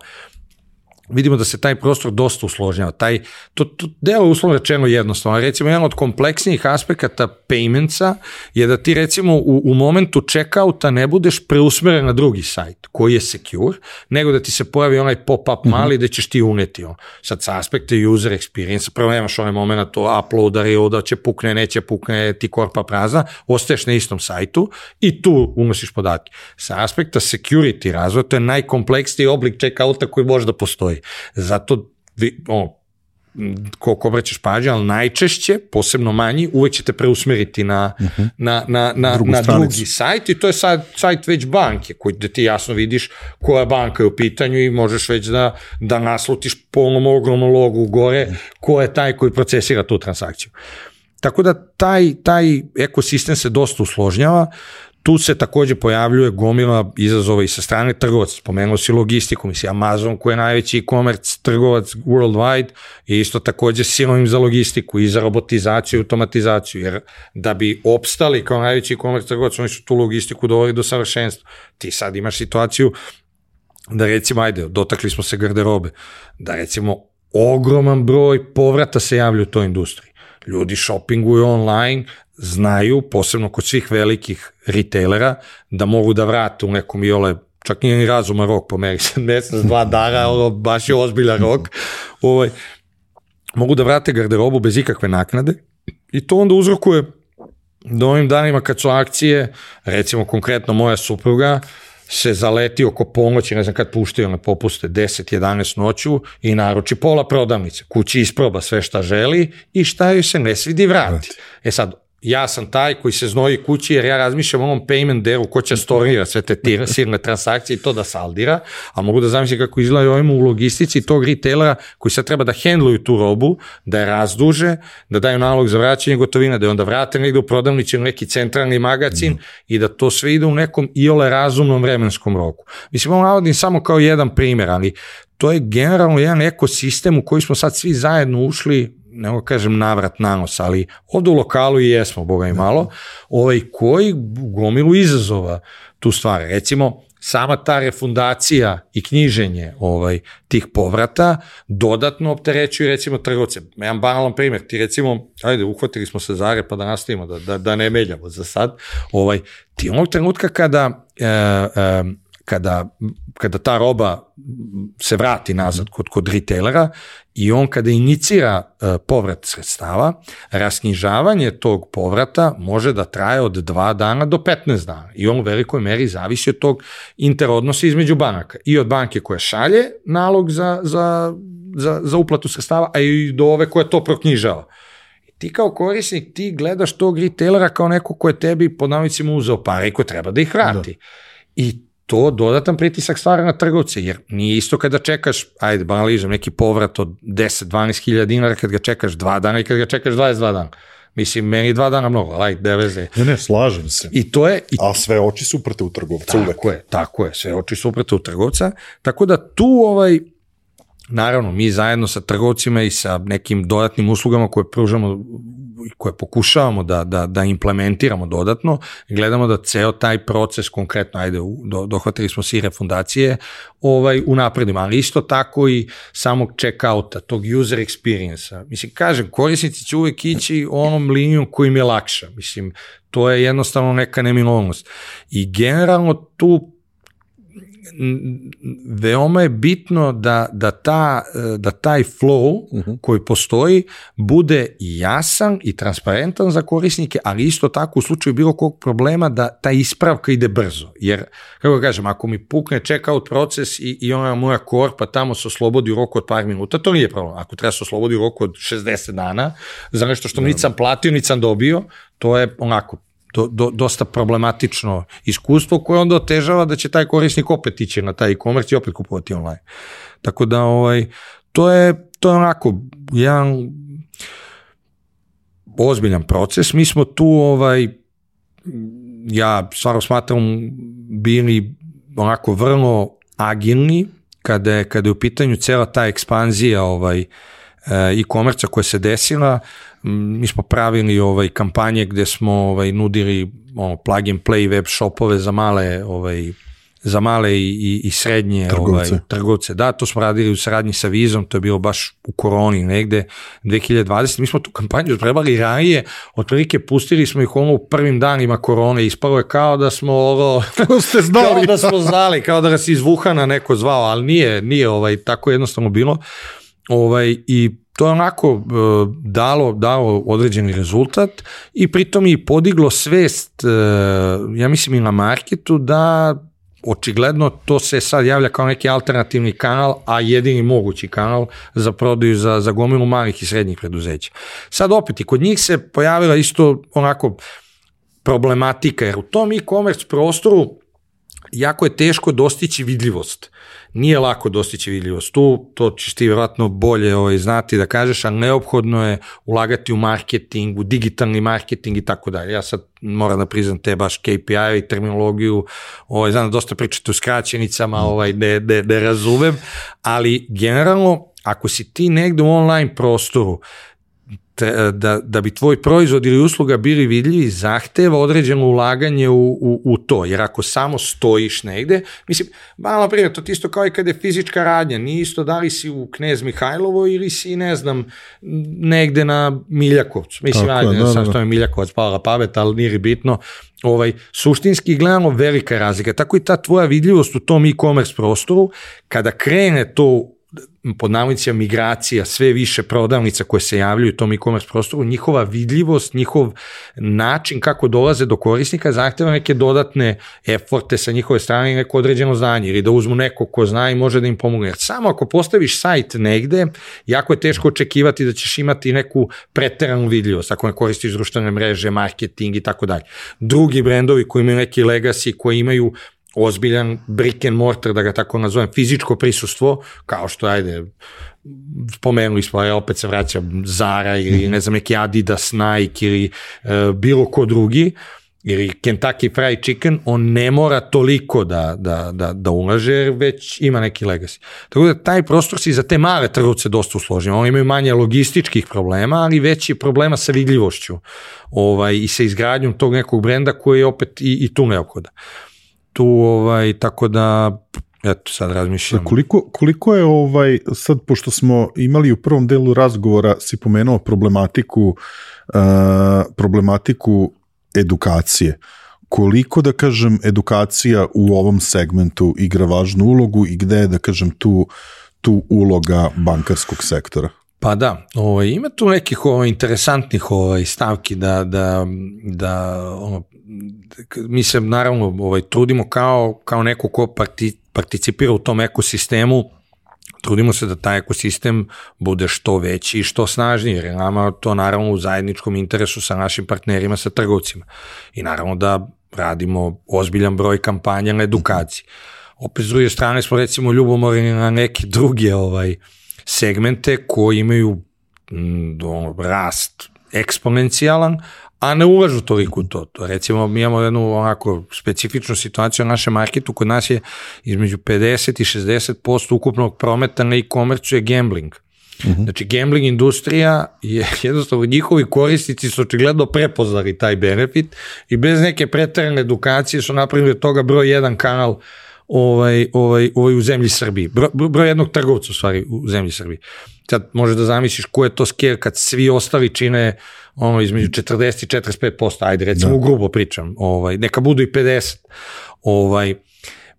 vidimo da se taj prostor dosta usložnjava. Taj, to, to delo uslovno rečeno jednostavno. Recimo, jedan od kompleksnijih aspekata paymentsa je da ti recimo u, u momentu checkouta ne budeš preusmeren na drugi sajt koji je secure, nego da ti se pojavi onaj pop-up mali mm-hmm. da ćeš ti uneti. On. Sad sa aspekta user experience, prvo nemaš onaj moment to uploadari, da će pukne, neće pukne, ti korpa prazna, ostaješ na istom sajtu i tu unosiš podatke. Sa aspekta security razvoja, to je najkompleksniji oblik checkouta koji može da postoji. Zato o, koliko obraćaš pažnje, ali najčešće, posebno manji, uvek ćete preusmeriti na, uh-huh. na, na, na, na drugi sajt i to je sad sajt već banke, koji da ti jasno vidiš koja banka je u pitanju i možeš već da, da naslutiš po onom ogromnom logu gore ko je taj koji procesira tu transakciju. Tako da taj, taj ekosistem se dosta usložnjava. Tu se takođe pojavljuje gomila izazova i sa strane trgovaca. Spomenuo si logistiku, misli Amazon koji je najveći e-commerce trgovac worldwide i isto takođe sinonim za logistiku i za robotizaciju i automatizaciju, jer da bi opstali kao najveći e-commerce trgovac, oni su tu logistiku doveli do savršenstva. Ti sad imaš situaciju da recimo, ajde, dotakli smo se garderobe, da recimo ogroman broj povrata se javlja u toj industriji. Ljudi shoppinguju online, znaju, posebno kod svih velikih retailera, da mogu da vrate u nekom iole, čak nije ni razuman rok, pomeri se mesec, dva dana, ono, baš je ozbiljan rok, ovaj, mogu da vrate garderobu bez ikakve naknade i to onda uzrokuje da ovim danima kad su akcije, recimo konkretno moja supruga, se zaleti oko ponoći, ne znam kad puštaju na popuste deset jedanaest noću i naruči pola prodavnice. Kući isproba sve šta želi i šta joj se ne svidi vrati. E sad, ja sam taj koji se znoji kući jer ja razmišljam o onom payment delu ko će stornira sve te tira, sirne transakcije i to da saldira, a mogu da zamislim kako izgledaju ovim u logistici tog retailera koji sad treba da hendluju tu robu, da je razduže, da daju nalog za vraćanje gotovine, da je onda vrate negde u prodavnici u neki centralni magacin mm. i da to sve ide u nekom iole razumnom vremenskom roku. Mislim, ovo navodim samo kao jedan primjer, ali to je generalno jedan ekosistem u koji smo sad svi zajedno ušli, ne mogu kažem navrat na nos, ali ovdje u lokalu i jesmo, boga i malo, ovaj, koji gomilu izazova tu stvari. Recimo, sama ta refundacija i knjiženje ovaj, tih povrata dodatno opterećuju recimo trgovce. Jedan banalan primjer, ti recimo, ajde, uhvatili smo se za pa da nastavimo, da, da, da ne meljamo za sad, ovaj, ti onog trenutka kada e, e, Kada, kada ta roba se vrati nazad kod, kod retailera i on kada inicira uh, povrat sredstava, rasknjižavanje tog povrata može da traje od dva dana do petnaest dana i on u velikoj meri zavisi od tog interodnosa između banaka i od banke koja šalje nalog za, za, za, za uplatu sredstava, a i do ove koja to proknjižava. Ti kao korisnik, ti gledaš tog retailera kao neko ko je tebi pod navodnicima uzeo pare i ko treba da ih vrati. Da. I to dodatan pritisak stvara na trgovce, jer nije isto kada čekaš, ajde, banaližem, neki povrat od deset do dvanaest hiljada dinara kad ga čekaš dva dana i kad ga čekaš dvadeset dva dana. Mislim, meni dva dana mnogo, ajde, ne veze. Ne, ne, slažem se. I to je... I... A sve oči su uprte u trgovca tako uvek. Tako je, tako je, sve oči su uprte u trgovca, tako da tu ovaj... Naravno, mi zajedno sa trgovcima i sa nekim dodatnim uslugama koje pružamo, koje pokušavamo da, da, da implementiramo dodatno, gledamo da ceo taj proces, konkretno, ajde, do, dohvatili smo se i refundacije, ovaj, unapredimo, ali isto tako i samog check-outa, tog user experience-a. Mislim, kažem, korisnici će uvek ići onom linijom koji im je lakša. Mislim, to je jednostavno neka neminovnost. I generalno tu veoma je bitno da, da, ta, da taj flow uh-huh. koji postoji bude jasan i transparentan za korisnike, ali isto tako u slučaju bilo kog problema da ta ispravka ide brzo. Jer, kako kažem, ako mi pukne checkout proces i, i ona moja korpa tamo se oslobodi u roku od par minuta, to nije problem. Ako treba se oslobodi u roku od šezdeset dana za nešto što nisam platio, nisam dobio, to je onako Do, do, dosta problematično iskustvo koje onda otežava da će taj korisnik opet ići na taj e-commerce i opet kupovati online. Tako da ovaj, to je, to je onako jedan ozbiljan proces. Mi smo tu, ovaj, ja stvarno smatram, bili onako vrlo agilni kada je, kada je u pitanju cela ta ekspanzija ovaj, e-commerce koja se desila. Mi smo pravili ovaj kampanje gde smo ovaj nudili ono plug and play web shopove za male ovaj za male i, i, i srednje trgovce. Ovaj, trgovce. Da, to smo radili u saradnji sa Vizom, to je bilo baš u koroni negde dve hiljade dvadesete. Mi smo tu kampanju trebali ranije, otprilike pustili smo ih ono u prvim danima korone, ispalo je kao da smo ovo, ste znali. kao da smo znali, kao da nas iz Wuhana neko zvao, ali nije, nije ovaj, tako jednostavno bilo. Ovaj, i to je onako uh, dalo, dalo određeni rezultat i pritom i podiglo svest, uh, ja mislim i na marketu, da očigledno to se sad javlja kao neki alternativni kanal, a jedini mogući kanal za prodaju za, za gomilu malih i srednjih preduzeća. Sad opet i kod njih se pojavila isto onako problematika, jer u tom e-commerce prostoru jako je teško dostići vidljivost. Nije lako dostići vidljivost. Tu, to ćeš ti vjerojatno bolje ovaj, znati da kažeš, ali neophodno je ulagati u marketing, u digitalni marketing i tako dalje. Ja sad moram da priznam te baš K P I i terminologiju, ovaj, znam da dosta pričate u skraćenicama, ovaj, ne, ne, ne razumem, ali generalno, ako si ti negde u online prostoru, Da, da bi tvoj proizvod ili usluga bili vidljivi, zahteva određeno ulaganje u, u, u to, jer ako samo stojiš negde, mislim, malo prije, to isto kao i kada je fizička radnja, nije isto da li si u Knez Mihajlovo ili si, ne znam, negde na Miljakovcu, mislim, Tako, ajde, da, sam da. što je Miljakovac, pala pamet, ali nije bitno, ovaj, suštinski gledano velika razlika, tako i ta tvoja vidljivost u tom e-commerce prostoru, kada krene to pod navodnicima migracija, sve više prodavnica koje se javljaju u tom e-commerce prostoru, njihova vidljivost, njihov način kako dolaze do korisnika zahteva neke dodatne eforte sa njihove strane i neko određeno znanje, ili da uzmu neko ko zna i može da im pomogne. Jer samo ako postaviš sajt negde, jako je teško očekivati da ćeš imati neku preteranu vidljivost, ako ne koristiš društvene mreže, marketing i tako dalje. Drugi brendovi koji imaju neki legacy, koji imaju ozbiljan brick and mortar, da ga tako nazovem, fizičko prisustvo, kao što, ajde, spomenuli smo, ja opet se vraćam, Zara ili ne znam, neki Adidas, Nike ili uh, bilo ko drugi, ili Kentucky Fried Chicken, on ne mora toliko da, da, da, da ulaže, jer već ima neki legacy. Tako da taj prostor si za te male trgovce dosta usložen. Oni imaju manje logističkih problema, ali veći je problema sa vidljivošću ovaj, i sa izgradnjom tog nekog brenda koji je opet i, i tu neophoda. Tu, ovaj, tako da, eto, sad razmišljam. Koliko, koliko je, ovaj, sad, pošto smo imali u prvom delu razgovora, si pomenuo problematiku, uh, problematiku edukacije. Koliko, da kažem, edukacija u ovom segmentu igra važnu ulogu i gde je, da kažem, tu, tu uloga bankarskog sektora? Pa da, ovaj, ima tu nekih ovaj, interesantnih ovaj, stavki da, da, da ono, mi se naravno ovaj, trudimo kao, kao neko ko parti, participira u tom ekosistemu, trudimo se da taj ekosistem bude što veći i što snažniji, jer je nama to naravno u zajedničkom interesu sa našim partnerima, sa trgovcima. I naravno da radimo ozbiljan broj kampanja na edukaciji. Opet s druge strane smo recimo ljubomorni na neke druge ovaj, segmente koji imaju m, rast eksponencijalan, a ne ulažu toliko u to. to. Recimo, mi imamo jednu onako specifičnu situaciju u našem marketu, kod nas je između pedeset i šezdeset posto ukupnog prometa na e-commerce je gambling. Uh-huh. Znači, gambling industrija je jednostavno, njihovi korisnici su očigledno prepoznali taj benefit i bez neke preterane edukacije su napravili od toga broj jedan kanal ovaj, ovaj, ovaj u zemlji Srbiji. Bro, broj jednog trgovca u stvari u zemlji Srbiji. Sad možeš da zamisliš ko je to scale kad svi ostali čine ono između četrdeset i četrdeset pet posto, ajde recimo da. Grubo pričam, ovaj, neka budu i pedeset. Ovaj,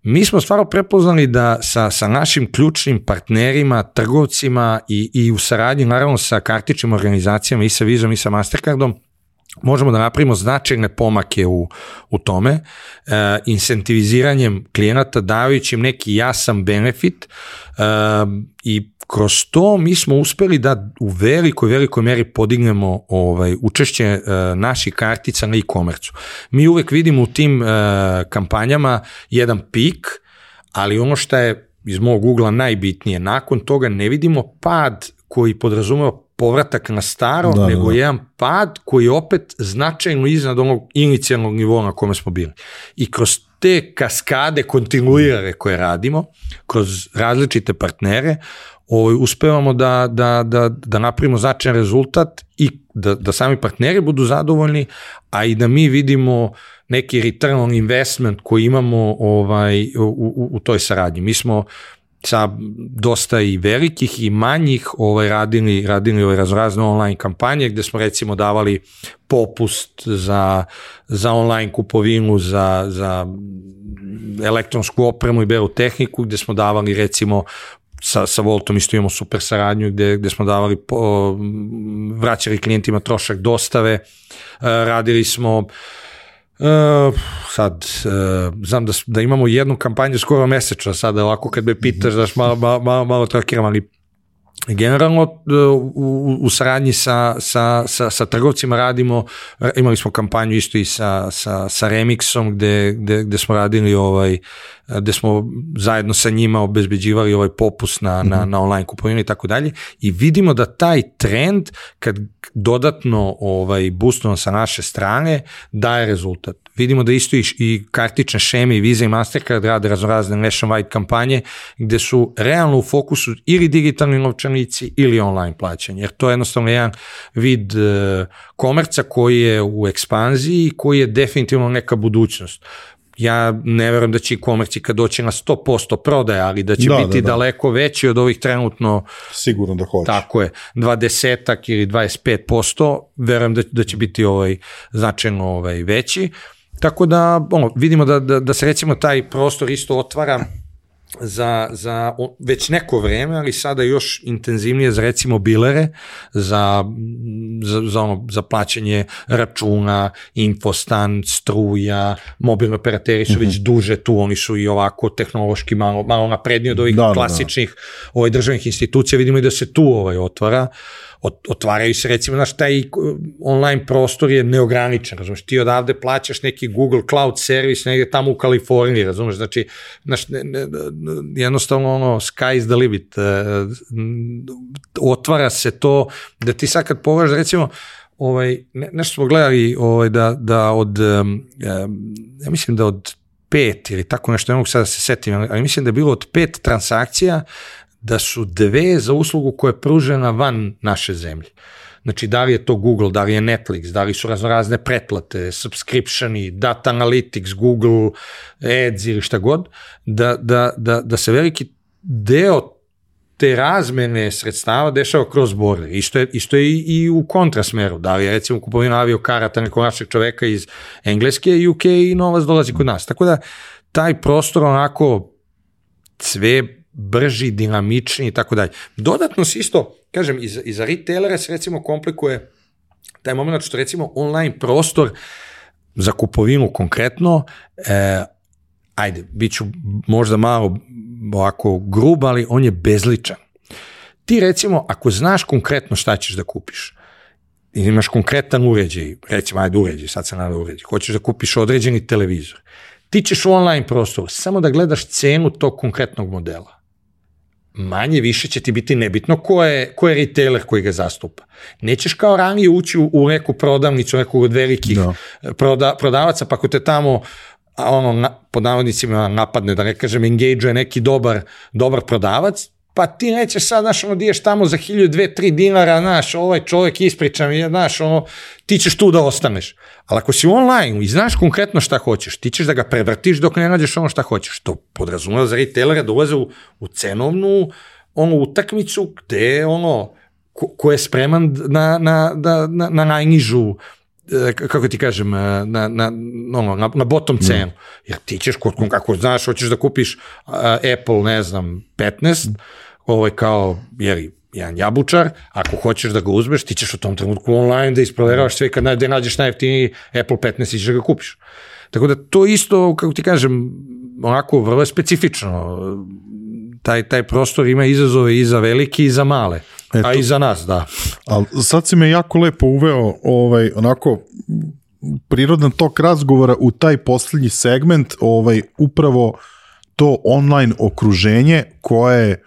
mi smo stvarno prepoznali da sa, sa našim ključnim partnerima, trgovcima i, i u saradnji naravno sa kartičnim organizacijama i sa Vizom i sa Mastercardom možemo da napravimo značajne pomake u, u tome, e, incentiviziranjem klijenata, dajući im neki jasan benefit e, i kroz to mi smo uspeli da u velikoj, velikoj meri podignemo ovaj, učešće e, naših kartica na e-commerce-u. Mi uvek vidimo u tim e, kampanjama jedan pik, ali ono što je iz mog ugla najbitnije, nakon toga ne vidimo pad koji podrazumeva povratak na staro, da, nego da. Jedan pad koji je opet značajno iznad onog inicijalnog nivoa na kome smo bili. I kroz te kaskade kontinuirane koje radimo, kroz različite partnere, ovaj, uspevamo da, da, da, da napravimo značajan rezultat i da, da sami partneri budu zadovoljni, a i da mi vidimo neki return on investment koji imamo ovaj, u, u, u toj saradnji. Mi smo sa dosta i velikih i manjih ovaj, radili, radili ovaj, raznorazne online kampanje gde smo recimo davali popust za, za online kupovinu, za, za elektronsku opremu i belu tehniku, gde smo davali recimo sa, sa Voltom isto imamo super saradnju gde, gde smo davali po, vraćali klijentima trošak dostave, radili smo Uh, sad, uh, znam da, da imamo jednu kampanju skoro mesečno, sada ovako kad me pitaš daš malo, malo, malo trakiram, ali generalno u, u saradnji sa, sa, sa, sa trgovcima radimo, imali smo kampanju isto i sa, sa, sa Remixom gde, gde, gde smo radili ovaj, gde smo zajedno sa njima obezbeđivali ovaj popust na, mm-hmm. na, na online kupovinu i tako dalje i vidimo da taj trend kad dodatno ovaj, boostujemo sa naše strane daje rezultat. Vidimo da isto i, i kartične šeme i Visa i Mastercard rade raznorazne nationwide kampanje gde su realno u fokusu ili digitalni novčanici ili online plaćanje, jer to je jednostavno jedan vid uh, komerca koji je u ekspanziji i koji je definitivno neka budućnost. Ja ne verujem da će e-commerce kad doći na sto posto prodaje, ali da će da, biti da, da. daleko veći od ovih trenutno. Sigurno da hoće. Tako je, dvadesetak ili dvadeset pet posto, verujem da, da će biti ovaj, značajno ovaj, veći. Tako da ono, vidimo da, da, da se recimo taj prostor isto otvara za, za već neko vreme, ali sada još intenzivnije za recimo bilere, za, za, za, ono, za plaćanje računa, infostan, struja, mobilni operateri su mm-hmm. već duže tu, oni su i ovako tehnološki malo, malo napredniji od ovih da, klasičnih da. Ovaj, državnih institucija, vidimo i da se tu ovaj, otvara. Otvaraju se recimo, znaš, taj online prostor je neograničen, razumiješ, ti odavde plaćaš neki Google Cloud servis negdje tamo u Kaliforniji, razumiješ, znači, znaš, ne, ne, jednostavno ono, sky is the limit, otvara se to, da ti sad kad pogledaš, recimo, ovaj, ne, nešto smo gledali ovaj, da, da od, ja mislim da od pet ili tako nešto, ne mogu sada se setim, ali mislim da je bilo od pet transakcija da su dve za uslugu koja je pružena van naše zemlje. Znači, da li je to Google, da li je Netflix, da li su raznorazne pretplate, subscriptioni, data analytics, Google Ads ili šta god, da, da, da, da se veliki deo te razmene sredstava dešava kroz border. Isto je, isto je i, i u kontrasmeru. Da li je recimo kupovina aviokarata nekog našeg čoveka iz Engleske, U K i novac dolazi kod nas. Tako da taj prostor onako sve brži, dinamični i tako dalje. Dodatno se isto, kažem, i za, i za retailere se recimo komplikuje taj moment što recimo online prostor za kupovinu konkretno, e, ajde, bit ću možda malo ovako grub, ali on je bezličan. Ti recimo, ako znaš konkretno šta ćeš da kupiš, i imaš konkretan uređaj, recimo, ajde uređaj, sad se nada uređaj, hoćeš da kupiš određeni televizor, ti ćeš u online prostoru samo da gledaš cenu tog konkretnog modela. Manje više će ti biti nebitno ko je, ko je retailer koji ga zastupa. Nećeš kao ranije ući u, u neku prodavnicu, nekog od velikih no. proda, prodavaca, pa ako te tamo ono, na, pod navodnicima napadne, da ne kažem, engage-uje neki dobar, dobar prodavac, pa ti nećeš sad, znaš, ono, diješ tamo za hilju, dve, tri dinara, znaš, ovaj čovjek ispriča mi, znaš, ono, ti ćeš tu da ostaneš. Ali ako si online i znaš konkretno šta hoćeš, ti ćeš da ga prevrtiš dok ne nađeš ono šta hoćeš. To podrazumeva za retailera da ulaze u, u cenovnu ono, utakmicu gde ono, ko, ko je spreman na, na, na, na, na najnižu, kako ti kažem, na, na, ono, na, na bottom cenu. Jer ti ćeš, kako znaš, hoćeš da kupiš uh, Apple, ne znam, petnaest, ovaj kao, jeli, jedan jabučar, ako hoćeš da ga uzmeš, ti ćeš u tom trenutku online da isproveravaš sve, kad gde nađeš najjeftiniji Apple petnaest i ćeš da ga kupiš. Tako da to isto, kako ti kažem, onako vrlo je specifično. Taj, taj prostor ima izazove i za veliki i za male, Eto. a i za nas, da. Ali sad si me jako lepo uveo, ovaj, onako, prirodan tok razgovora u taj posljednji segment, ovaj, upravo to online okruženje koje,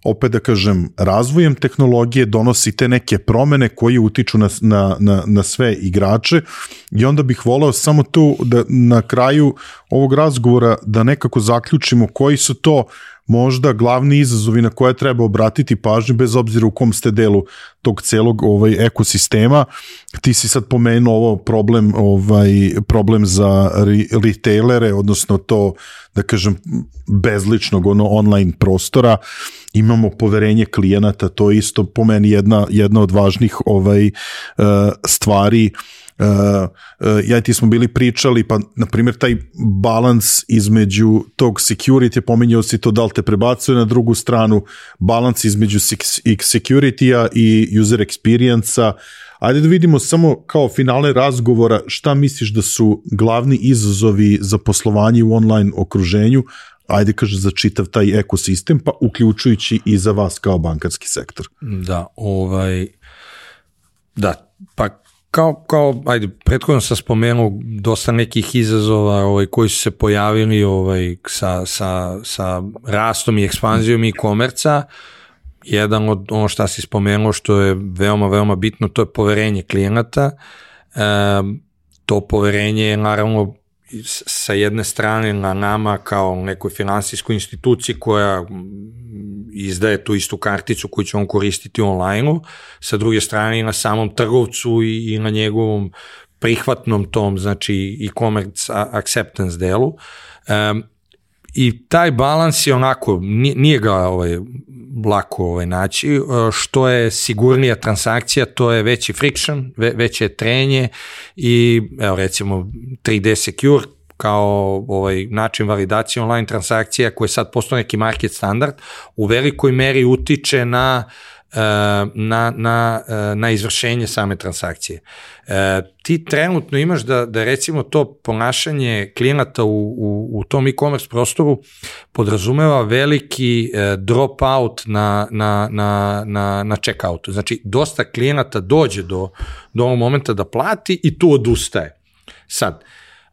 opet da kažem, razvojem tehnologije donosi te neke promene koje utiču na, na, na, na sve igrače i onda bih voleo samo tu da na kraju ovog razgovora da nekako zaključimo koji su to možda glavni izazovi na koje treba obratiti pažnju, bez obzira u kom ste delu tog celog ovaj, ekosistema. Ti si sad pomenuo ovo problem, ovaj, problem za re, retailere, odnosno to, da kažem, bezličnog ono, online prostora. Imamo poverenje klijenata, to je isto po meni jedna, jedna od važnih ovaj, stvari. Uh, uh, ja i ti smo bili pričali, pa na primjer taj balans između tog security, pominjao si to da li te prebacuje na drugu stranu, balans između security-a i user experience-a. Ajde da vidimo samo kao finale razgovora šta misliš da su glavni izazovi za poslovanje u online okruženju, ajde kaže za čitav taj ekosistem, pa uključujući i za vas kao bankarski sektor. Da, ovaj, da, pa Kao, kao, ajde, prethodno sam spomenuo dosta nekih izazova ovaj, koji su se pojavili ovaj, sa, sa, sa rastom i ekspanzijom e-komerca. Jedan od ono što si spomenuo što je veoma, veoma bitno, to je poverenje klijenata. E, to poverenje je naravno sa jedne strane na nama kao nekoj finansijskoj instituciji koja izdaje tu istu karticu koju ćemo koristiti online-u, sa druge strane i na samom trgovcu i, i na njegovom prihvatnom tom, znači e-commerce acceptance delu. Um, I taj balans je onako, nije ga ovaj, lako ovaj, naći, što je sigurnija transakcija, to je veći friction, ve, veće trenje i evo recimo tri D Secure kao ovaj, način validacije online transakcija koji sad postoji neki market standard, u velikoj meri utiče na Na, na, na izvršenje same transakcije. E, ti trenutno imaš da, da recimo to ponašanje klijenata u, u, u tom e-commerce prostoru podrazumeva veliki e, drop out na, na, na, na, na check-outu. Znači, dosta klijenata dođe do, do ovog momenta da plati i tu odustaje. Sad,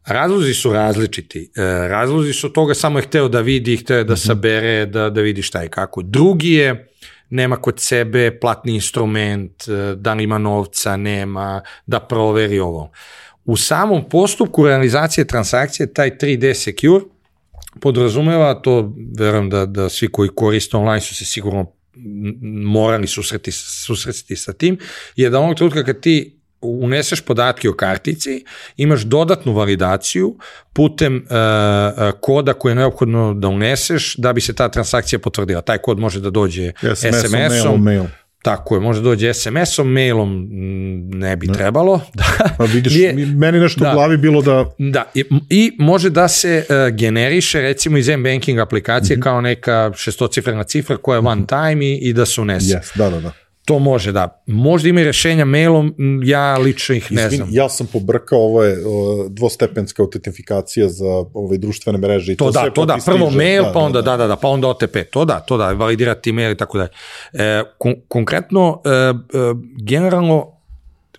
razlozi su različiti. E, razlozi su toga samo je hteo da vidi, hteo je da sabere, da, da vidi šta je kako. Drugi je nema kod sebe platni instrument, da li ima novca, nema, da proveri ovo. U samom postupku realizacije transakcije, taj tri D Secure podrazumeva, to verujem da, da svi koji koriste online su se sigurno morali susreti, susreti sa tim, je da onog trenutka kad ti uneseš podatke o kartici, imaš dodatnu validaciju putem uh, koda koje je neophodno da uneseš da bi se ta transakcija potvrdila. Taj kod može da dođe S M S-om, mailom, mail. Tako je, može da dođe S M S-om, mailom ne bi ne. trebalo. Da. Pa vidiš, je, meni nešto da, u glavi bilo da... Da, i, i može da se uh, generiše recimo iz M-banking aplikacije mm-hmm. kao neka šestocifrena cifra koja je one time i, i da se unese. Yes, da, da, da. To može, da. Možda ima i rešenja mailom, ja lično ih ne znam. Ja sam pobrkao, ovo je dvostepenska autentifikacija za ove društvene mreže. I to, to da, to da, prvo mail, da, pa onda, da, da, da, pa onda O T P, to da, to da, validirati mail i tako dalje. E, kon, konkretno, e, e, generalno,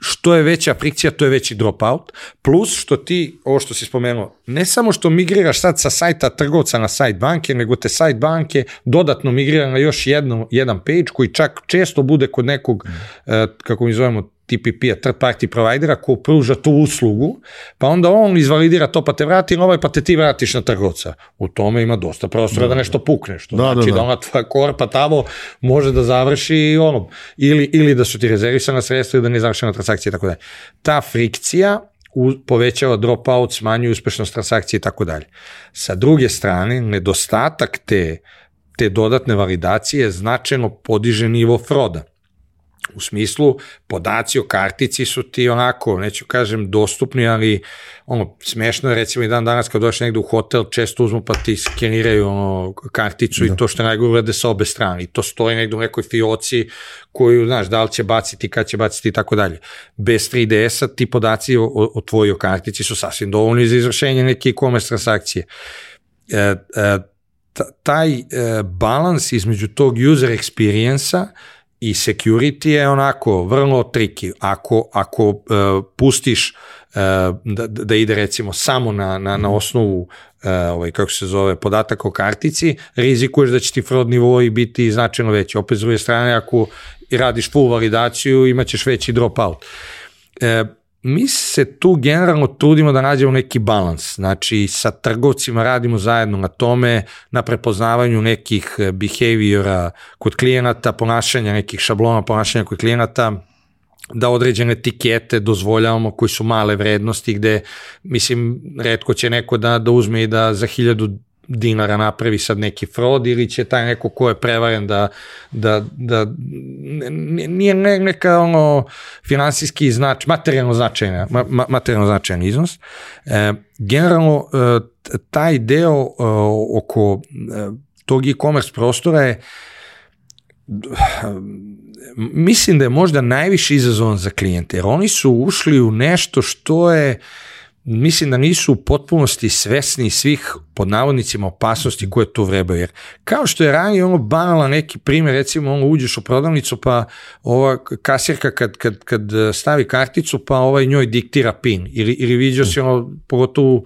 što je veća frikcija, to je veći dropout, plus što ti, ovo što si spomenuo, ne samo što migriraš sad sa sajta trgovca na sajt banke, nego te sajt banke dodatno migrira na još jedno, jedan page koji čak često bude kod nekog, mm. uh, kako mi zovemo, T P P-a, third party providera, ko pruža tu uslugu, pa onda on izvalidira to, pa te vrati na ovaj, pa te ti vratiš na trgovca. U tome ima dosta prostora da, da nešto pukne, što da, znači da, da. da ona tvoja korpa tamo može da završi ono, ili, ili da su ti rezervisana sredstva ili da ne završena transakcija i tako dalje. Ta frikcija povećava dropout, smanjuje uspešnost transakcije i tako dalje. Sa druge strane, nedostatak te, te dodatne validacije značajno podiže nivo froda. U smislu, podaci o kartici su ti onako, neću kažem dostupni, ali ono, smešno je recimo i dan danas kad dođeš negde u hotel, često uzmu pa ti skeniraju ono, karticu da. I to što najgore urade sa obe strane. I to stoji negde u nekoj fioci koju, znaš, da li će baciti, kad će baciti i tako dalje. Bez tri D S-a ti podaci o, o tvojoj kartici su sasvim dovoljni za izvršenje neke e-commerce transakcije. E, e, taj e, balans između tog user experience-a i security je onako vrlo tricky. Ako, ako uh, pustiš uh, da, da ide recimo samo na, na, na osnovu uh, ovaj, kako se zove, podataka o kartici, rizikuješ da će ti fraud nivoi biti značajno veći. Opet s druge strane, ako radiš full validaciju, imat ćeš veći dropout. Uh, mi se tu generalno trudimo da nađemo neki balans, znači sa trgovcima radimo zajedno na tome, na prepoznavanju nekih behaviora kod klijenata, ponašanja, nekih šablona ponašanja kod klijenata, da određene etikete dozvoljavamo koji su male vrednosti, gde, mislim, retko će neko da, da uzme i da za hiljadu dinara napravi sad neki fraud, ili će taj neko ko je prevaren da, da, da nije neka ono finansijski znač, materijalno značajna, ma, materijalno značajan iznos. E, generalno, taj deo oko tog e-commerce prostora je, mislim da je možda najviše izazovan za klijente, jer oni su ušli u nešto što je, mislim da nisu u potpunosti svesni svih pod navodnicima opasnosti koje tu vrebaju, jer kao što je ranije ono banala neki primjer, recimo ono uđeš u prodavnicu pa ova kasirka kad, kad, kad stavi karticu pa ovaj njoj diktira pin, ili, ili vidio si ono, pogotovo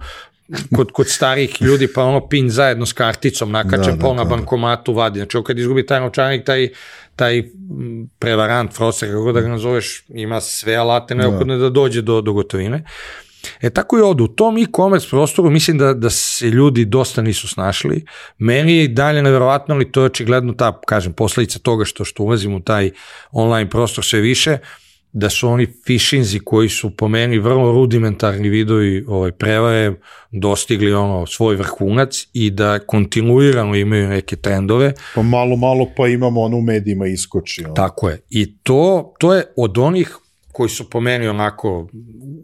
kod, kod starih ljudi pa ono pin zajedno s karticom nakače, da, pa na bankomatu vadi, znači kad izgubi taj novčanik, taj taj prevarant, fraudster, kako da ga nazoveš, ima sve alate neophodne da dođe do, do gotovine. E tako i ovdje, u tom e-commerce prostoru mislim da, da se ljudi dosta nisu snašli, meni je i dalje nevjerovatno, ali to je očigledno ta, kažem, posljedica toga što, što ulazim u taj online prostor sve više, da su oni phishinzi koji su po meni vrlo rudimentarni vidovi ovaj, prevare dostigli ono svoj vrhunac i da kontinuirano imaju neke trendove. Pa malo, malo pa imamo ono u medijima iskoči. Ono. Tako je. I to, to je od onih koji su po meni onako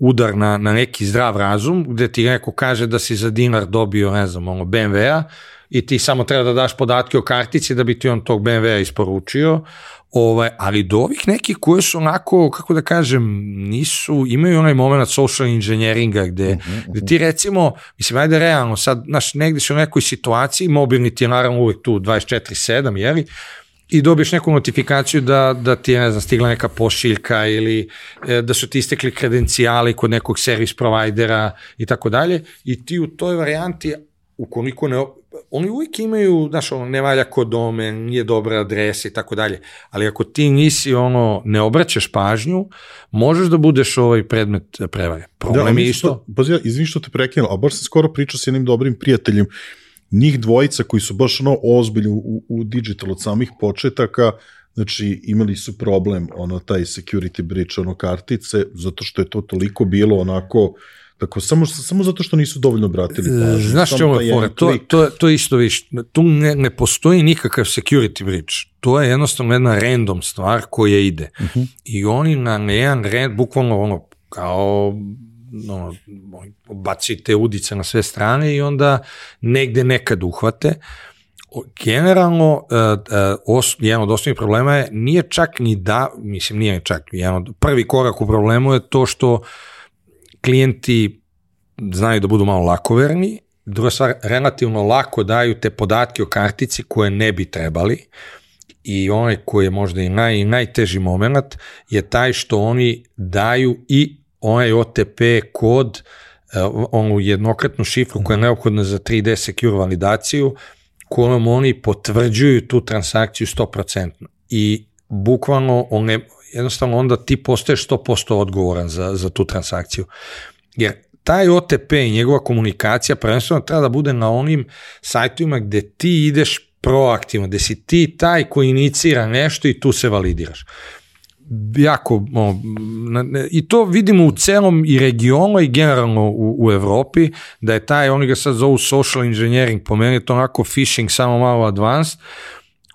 udar na, na neki zdrav razum, gde ti neko kaže da si za dinar dobio, ne znam, ono be em ve-a i ti samo treba da daš podatke o kartici da bi ti on tog be em ve-a isporučio, ovaj, ali do ovih nekih koji su onako, kako da kažem, nisu, imaju onaj moment social engineeringa gde, uh-huh, uh-huh. gde ti recimo, mislim, ajde realno, sad, znaš, negde si u nekoj situaciji, mobilni ti je naravno uvijek tu dvadeset četiri sedam, jeli, i dobiješ neku notifikaciju da, da ti je, ne znam, stigla neka pošiljka ili e, da su ti istekli kredencijali kod nekog servis provajdera i tako dalje, i ti u toj varijanti, ukoliko ne, oni uvijek imaju, znaš, ono, ne valja kod domen, nije dobra adresa i tako dalje, ali ako ti nisi, ono, ne obraćaš pažnju, možeš da budeš ovaj predmet prevare. Problem da, je isto. Pa ja, izvini što te prekinuo, a baš sam skoro pričao s jednim dobrim prijateljem, njih dvojica koji su baš ono ozbiljni u, u digital od samih početaka, znači imali su problem, ono, taj security breach, ono, kartice, zato što je to toliko bilo onako, tako, samo, samo zato što nisu dovoljno obratili pažnju. Znaš čemu je fora, to, to, to isto viš, tu ne, ne postoji nikakav security breach, to je jednostavno jedna random stvar koja ide. Uh-huh. I oni na jedan red, bukvalno ono, kao no, bacite udice na sve strane i onda negde nekad uhvate. Generalno, uh, uh, os, jedan od osnovnih problema je, nije čak ni da, mislim nije čak, jedan od, prvi korak u problemu je to što klijenti znaju da budu malo lakoverni, druga stvar, relativno lako daju te podatke o kartici koje ne bi trebali, i onaj koji je možda i naj, najteži moment je taj što oni daju i onaj o te pe kod, onu jednokratnu šifru koja je neophodna za tri de secure validaciju, kojom oni potvrđuju tu transakciju sto posto. I bukvalno, on ne, jednostavno onda ti postaješ sto posto odgovoran za, za tu transakciju. Jer taj o te pe i njegova komunikacija prvenstveno treba da bude na onim sajtovima gde ti ideš proaktivno, gde si ti taj koji inicira nešto i tu se validiraš. Jako, o, ne, i to vidimo u celom i regionu i generalno u, u Evropi, da je taj, oni ga sad zovu social engineering, po meni je to onako phishing samo malo advanced,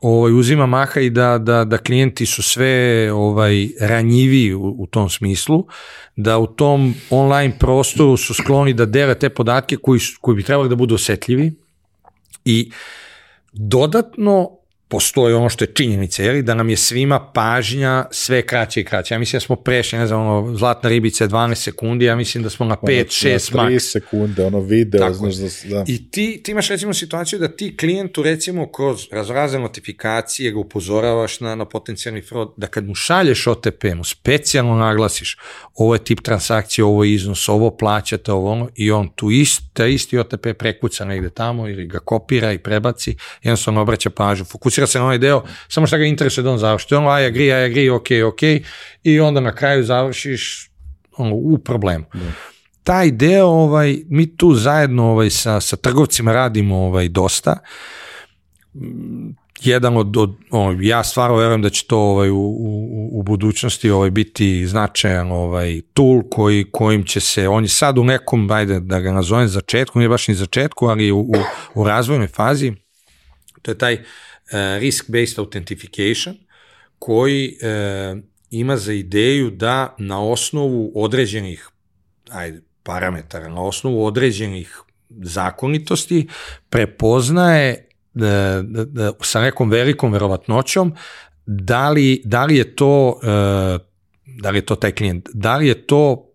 ovaj, uzima maha i da, da, da klijenti su sve ovaj, ranjivi u, u tom smislu, da u tom online prostoru su skloni da dele te podatke koji, koji bi trebali da budu osetljivi, i dodatno postoji ono što je činjenica, jeli, da nam je svima pažnja sve kraće i kraće. Ja mislim da smo prešli, ne znam, ono, zlatna ribica je dvanaest sekundi, ja mislim da smo na pet šest maks. tri sekunde, ono video, tako, znaš da... da. I ti, ti imaš recimo situaciju da ti klijentu recimo kroz razrazne notifikacije ga upozoravaš na, na potencijalni fraud, da kad mu šalješ o te pe, mu specijalno naglasiš ovo je tip transakcije, ovo je iznos, ovo plaćate, ovo ono, i on tu ist, taj isti o te pe prekuca negde tamo ili ga kopira i prebaci, jednostavno obraća pažnju, fokusira se na onaj deo, samo što ga interesuje da on završi. On, I agree, I agree, ok, ok, i onda na kraju završiš u problemu. Da. Taj deo, ovaj, mi tu zajedno ovaj, sa, sa trgovcima radimo ovaj, dosta. Jedan od, od ovaj, ja stvarno verujem da će to ovaj, u, u, u budućnosti ovaj, biti značajan ovaj, tool koji, kojim će se, on je sad u nekom, ajde da ga nazovem začetku, nije baš ni začetku, ali u, u, u razvojnoj fazi, to je taj uh, risk-based authentication, koji uh, ima za ideju da na osnovu određenih ajde, parametara, na osnovu određenih zakonitosti prepoznaje da, da, da, sa nekom velikom verovatnoćom da li, da li je to da li je to taj klijent, da li je to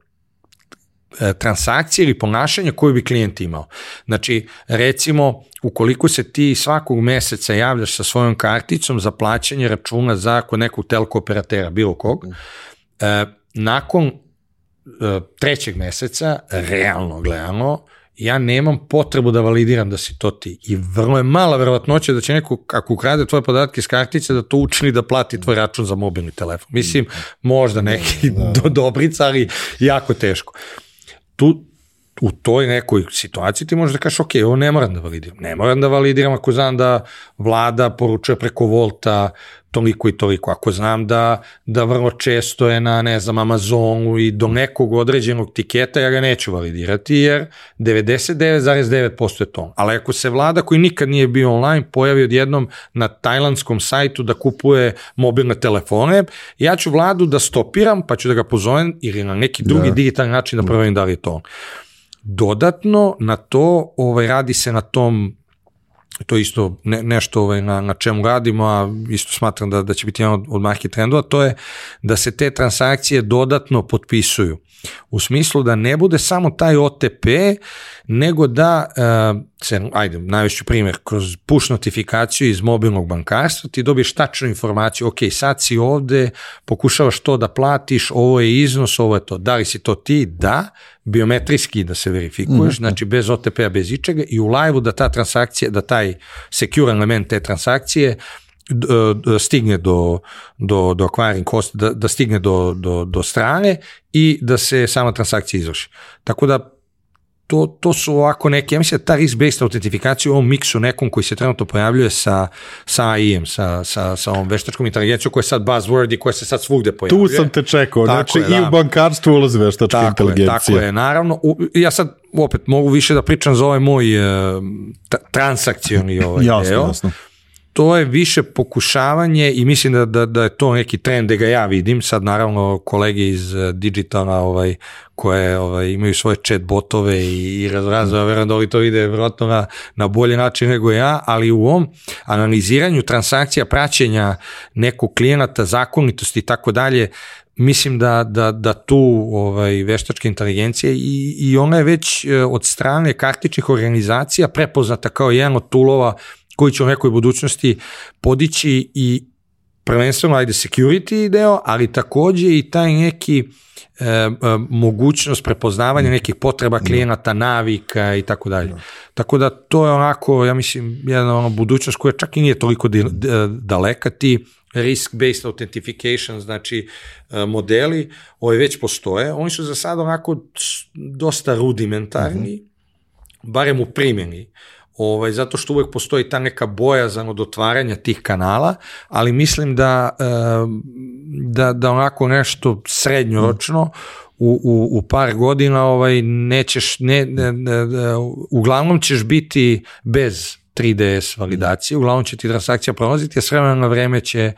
transakcija ili ponašanje koju bi klijent imao. Znači, recimo, ukoliko se ti svakog meseca javljaš sa svojom karticom za plaćanje računa za kod nekog telko operatera, bilo kog, nakon trećeg meseca, realno gledano, ja nemam potrebu da validiram da si to ti. I vrlo je mala verovatnoća da će neko, ako ukrade tvoje podatke iz kartice, da to učini da plati tvoj račun za mobilni telefon. Mislim, možda neki do dobrica, ali jako teško. Tu, u toj nekoj situaciji ti možeš da kažeš, ok, ovo ne moram da validiram. Ne moram da validiram ako znam da vlada poručuje preko Volta toliko i toliko. Ako znam da, da vrlo često je na, ne znam, Amazonu i do nekog određenog tiketa, ja ga neću validirati, jer devedeset devet zarez devet posto je to. Ali ako se vlada koji nikad nije bio online pojavi odjednom na tajlandskom sajtu da kupuje mobilne telefone, ja ću vladu da stopiram, pa ću da ga pozovem ili na neki drugi da. digitalni način da proverim da li je to on. Dodatno na to ovaj, radi se na tom, to je isto ne, nešto ovaj, na, na čemu radimo, a isto smatram da, da će biti jedan od, od market trendova, to je da se te transakcije dodatno potpisuju. U smislu da ne bude samo taj O T P, nego da, uh, se, ajde, najveći primjer, kroz push notifikaciju iz mobilnog bankarstva, ti dobiješ tačnu informaciju, ok, sad si ovde, pokušavaš to da platiš, ovo je iznos, ovo je to, da li si to ti? Da, biometrijski da se verifikuješ, mm-hmm. znači bez O T P-a, bez ičega, i u live-u da ta transakcija, da taj secure element te transakcije stigne do, do, do acquiring cost, da, da stigne do, do, do strane i da se sama transakcija izvrši. Tako da to, to su ovako neke, ja mislim da ta risk-based autentifikacija u ovom miksu nekom koji se trenutno pojavljuje sa, sa A I-em, sa, sa, sa ovom veštačkom inteligencijom koja je sad buzzword i koja se sad svugde pojavljuje. Tu sam te čekao, tako znači je, i da. u bankarstvu ulazi veštačka tako inteligencija. Je, tako je, naravno. U, ja sad opet mogu više da pričam za ovaj moj uh, transakcioni ovaj jasno, deo. Jasno. To je više pokušavanje i mislim da, da, da je to neki trend da ga ja vidim. Sad naravno kolege iz digitala ovaj, koje ovaj, imaju svoje chat botove i, i razrazove, verujem da oni to vide vjerojatno na, na bolji način nego ja, ali u ovom analiziranju transakcija, praćenja nekog klijenata, zakonitosti i tako dalje, mislim da, da, da tu ovaj, veštačka inteligencija i, i ona je već od strane kartičnih organizacija prepoznata kao jedan od toolova koji će u nekoj budućnosti podići i prvenstveno ajde security deo, ali takođe i taj neki e, e, mogućnost prepoznavanja nekih potreba klijenata, navika i tako dalje. Tako da to je onako, ja mislim, jedna ono budućnost koja čak i nije toliko di, d, daleka, ti risk-based authentication, znači modeli, ovi već postoje, oni su za sad onako dosta rudimentarni, mm-hmm. barem u primjeni. Ovaj, zato što uvek postoji ta neka bojazan od otvaranja tih kanala, ali mislim da, da, da onako nešto srednjoročno u, u, u par godina ovaj, nećeš, ne, ne, ne, uglavnom ćeš biti bez tri D S validacije, uglavnom će ti transakcija prolaziti, a s vremena na vreme će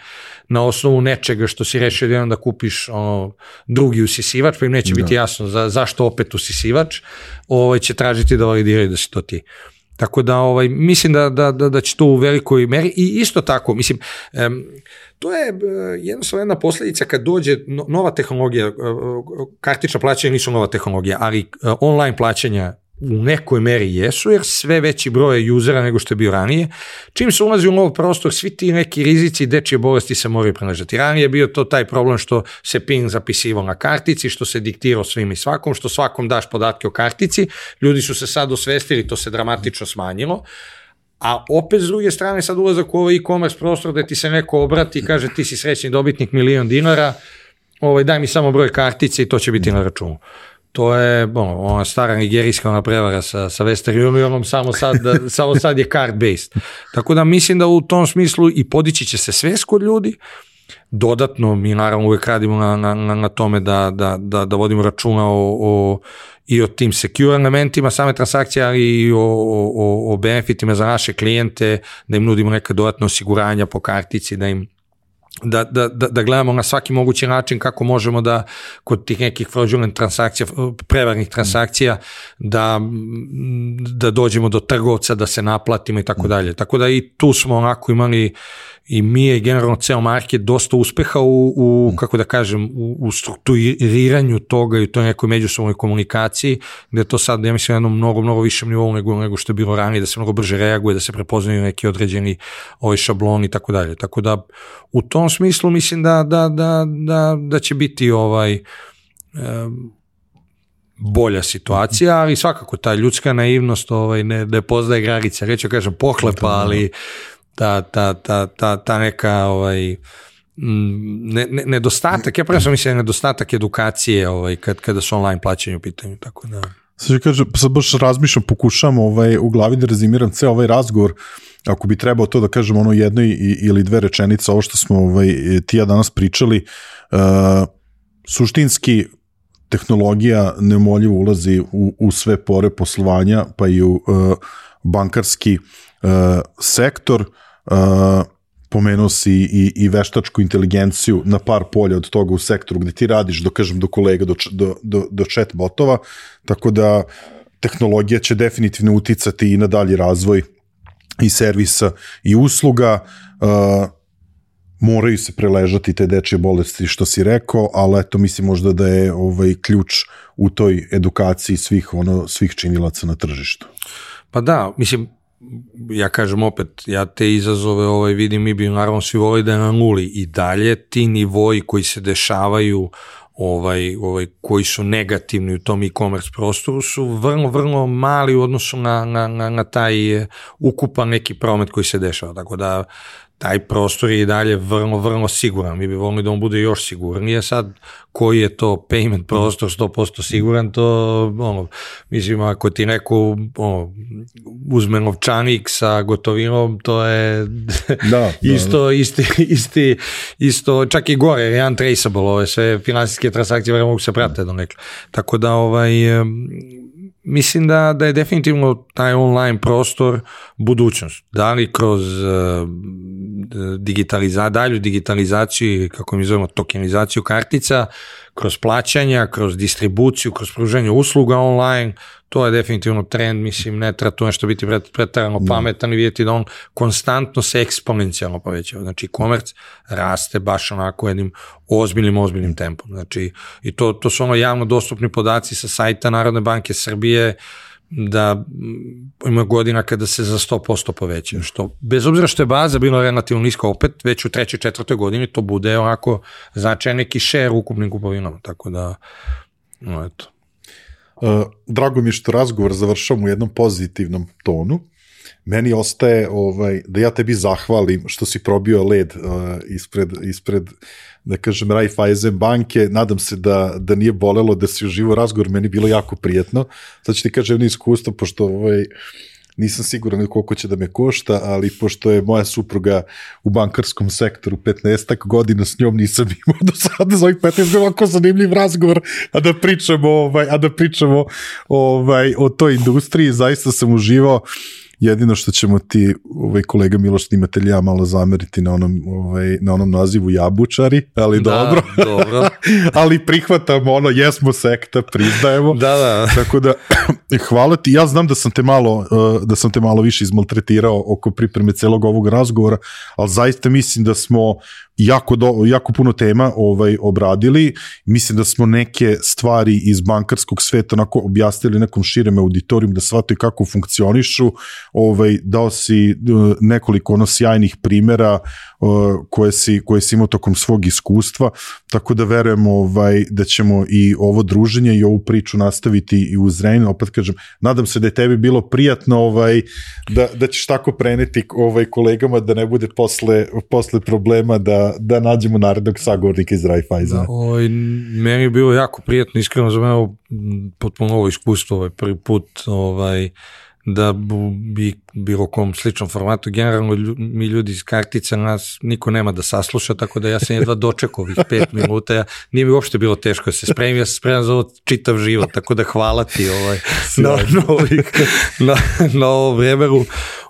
na osnovu nečega što si rešio jednom da kupiš ono, drugi usisivač, pa im neće da. biti jasno za, zašto opet usisivač, ovaj, će tražiti da validiraju da si to ti. Tako da ovaj, mislim da, da, da, da će to u velikoj meri i isto tako, mislim, um, to je uh, jednostavno jedna posljedica kad dođe no, nova tehnologija, uh, kartična plaćanja nisu nova tehnologija, ali uh, online plaćanja u nekoj meri jesu, jer sve veći broj usera nego što je bio ranije. Čim se ulazi u nov prostor, svi ti neki rizici i dečje bolesti se moraju prenažati. Ranije je bio to taj problem što se PIN zapisivao na kartici, što se diktirao svim i svakom, što svakom daš podatke o kartici. Ljudi su se sad osvestili, to se dramatično smanjilo. A opet s druge strane sad ulazak u ovaj e-commerce prostor gde ti se neko obrati i kaže ti si srećni dobitnik milion dinara, ovaj, daj mi samo broj kartice i to će biti na računu. To je ono, ona stara nigerijska ona prevara sa, sa Western Unionom, samo sad, samo sad je card-based. Tako da mislim da u tom smislu i podići će se svest kod ljudi. Dodatno, mi naravno uvek radimo na, na, na tome da, da, da, da vodimo računa o, o, i o tim secure elementima same transakcije, ali i o, o, o benefitima za naše klijente, da im nudimo neka dodatna osiguranja po kartici, da im Da, da, da, da gledamo na svaki mogući način kako možemo da kod tih nekih fraudulent transakcija, prevarnih transakcija, da, da dođemo do trgovca, da se naplatimo i tako dalje. Tako da i tu smo onako imali i mi je generalno ceo market dosta uspeha u, u kako da kažem, u, u strukturiranju toga i u toj nekoj međusobnoj komunikaciji, gde to sad, ja mislim, jednom mnogo, mnogo višem nivou nego, nego što je bilo ranije, da se mnogo brže reaguje, da se prepoznaju neki određeni ovaj šabloni i tako dalje. Tako da u tom smislu mislim da, da, da, da, da će biti ovaj um, bolja situacija, ali svakako ta ljudska naivnost ovaj, ne, ne poznaje granice, reću kažem pohlepa, ali ta, ta, ta, ta, ta neka ovaj, ne, ne, nedostatak, ja prvo sam mislim nedostatak edukacije ovaj, kad, kada su online plaćanje u pitanju, tako da... Sad kaže, sad baš razmišljam, pokušam ovaj, u glavi da rezimiram ceo ovaj razgovor, ako bi trebao to da kažem ono jedno ili dve rečenice, ovo što smo ovaj, ti ja danas pričali, uh, suštinski tehnologija neumoljivo ulazi u, u sve pore poslovanja, pa i u uh, bankarski uh, sektor, uh, pomenuo si i, i veštačku inteligenciju na par polja od toga u sektoru gde ti radiš, do, kažem, do kolega, do, do, do, do chat botova, tako da tehnologija će definitivno uticati i na dalji razvoj i servisa i usluga, uh, moraju se preležati te dečje bolesti što si rekao, ali eto mislim možda da je ovaj ključ u toj edukaciji svih, ono, svih činilaca na tržištu. Pa da, mislim, ja kažem opet, ja te izazove ovaj, vidim, mi bi naravno svi volili da je na nuli i dalje ti nivoji koji se dešavaju ovaj, ovaj, koji su negativni u tom e-commerce prostoru su vrlo, vrlo mali u odnosu na, na, na, na taj ukupan neki promet koji se dešava, tako da taj prostor je i dalje vrlo, vrlo siguran. Mi bi volili da on bude još sigurnije. Sad, koji je to payment prostor sto posto siguran, to, ono, mislim, ako ti neko ono, uzme novčanik sa gotovinom, to je da, isto, da, da. Isti, isti, isto, čak i gore, je untraceable, ove sve finansijske transakcije vrlo mogu se pratiti do nekla. Tako da, ovaj, mislim da, da je definitivno taj online prostor budućnost. Da li kroz uh, digitaliza, dalju digitalizaciju, kako mi zovemo, tokenizaciju kartica, kroz plaćanja, kroz distribuciju, kroz pružanje usluga online, to je definitivno trend, mislim, ne treba to nešto biti pretarano pametan i vidjeti da on konstantno se eksponencijalno povećava. Znači, e-commerce raste baš onako jednim ozbiljnim, ozbiljnim tempom. Znači, i to, to su ono javno dostupni podaci sa sajta Narodne banke Srbije, da ima godina kada se za sto posto poveća, što bez obzira što je baza bila relativno niska, opet već u trećoj, četvrtoj godini to bude onako značajan neki share u ukupnim kupovinama, tako da, no eto. Uh, drago mi je što razgovor završam u jednom pozitivnom tonu. Meni ostaje ovaj, da ja tebi zahvalim što si probio led uh, ispred, ispred, da kažem, Raiffeisen banke. Nadam se da, da nije bolelo, da si uživo razgovor, meni bilo jako prijetno. Sad ću ti kažem jedno iskustvo, pošto ovaj, nisam siguran koliko će da me košta, ali pošto je moja supruga u bankarskom sektoru petnaestak godina, s njom nisam imao do sada za ovih petnaest godina ovako zanimljiv razgovor, a da pričamo, ovaj, a da pričamo ovaj, o toj industriji, zaista sam uživao. Jedino što ćemo ti, ovaj, kolega Miloš snimatelj, ja malo zameriti na onom, ovaj, na onom nazivu Jabučari, ali da, dobro. dobro. Ali prihvatamo ono, jesmo sekta, priznajemo. Da, da. Tako da, hvala ti. Ja znam da sam te malo, da sam te malo više izmaltretirao oko pripreme celog ovog razgovora, ali zaista mislim da smo jako, do, jako puno tema ovaj, obradili. Mislim da smo neke stvari iz bankarskog sveta onako objasnili nekom širem auditorijum, da shvataju kako funkcionišu. Ovaj, dao si nekoliko ono sjajnih primjera koje si, koje si imao tokom svog iskustva, tako da verujem ovaj, da ćemo i ovo druženje i ovu priču nastaviti i uz Zrenjanin. Opet kažem, nadam se da je tebi bilo prijatno, ovaj, da, da ćeš tako preneti ovaj, kolegama, da ne bude posle, posle problema da da, da nađemo narednog sagovornika iz Raiffeisena. Da, ovaj, meni je bilo jako prijetno, iskreno za mene potpuno novo iskustvo, ovaj, prvi put ovaj, da bi bilo kom sličnom formatu. Generalno mi ljudi iz kartica, nas niko nema da sasluša, tako da ja sam jedva dočekao ovih pet minuta. Ja, nije mi uopšte bilo teško da se spremim, ja sam spreman za ovo čitav život, tako da hvala ti ovaj, na, na, ovih, na, na ovom vremeru.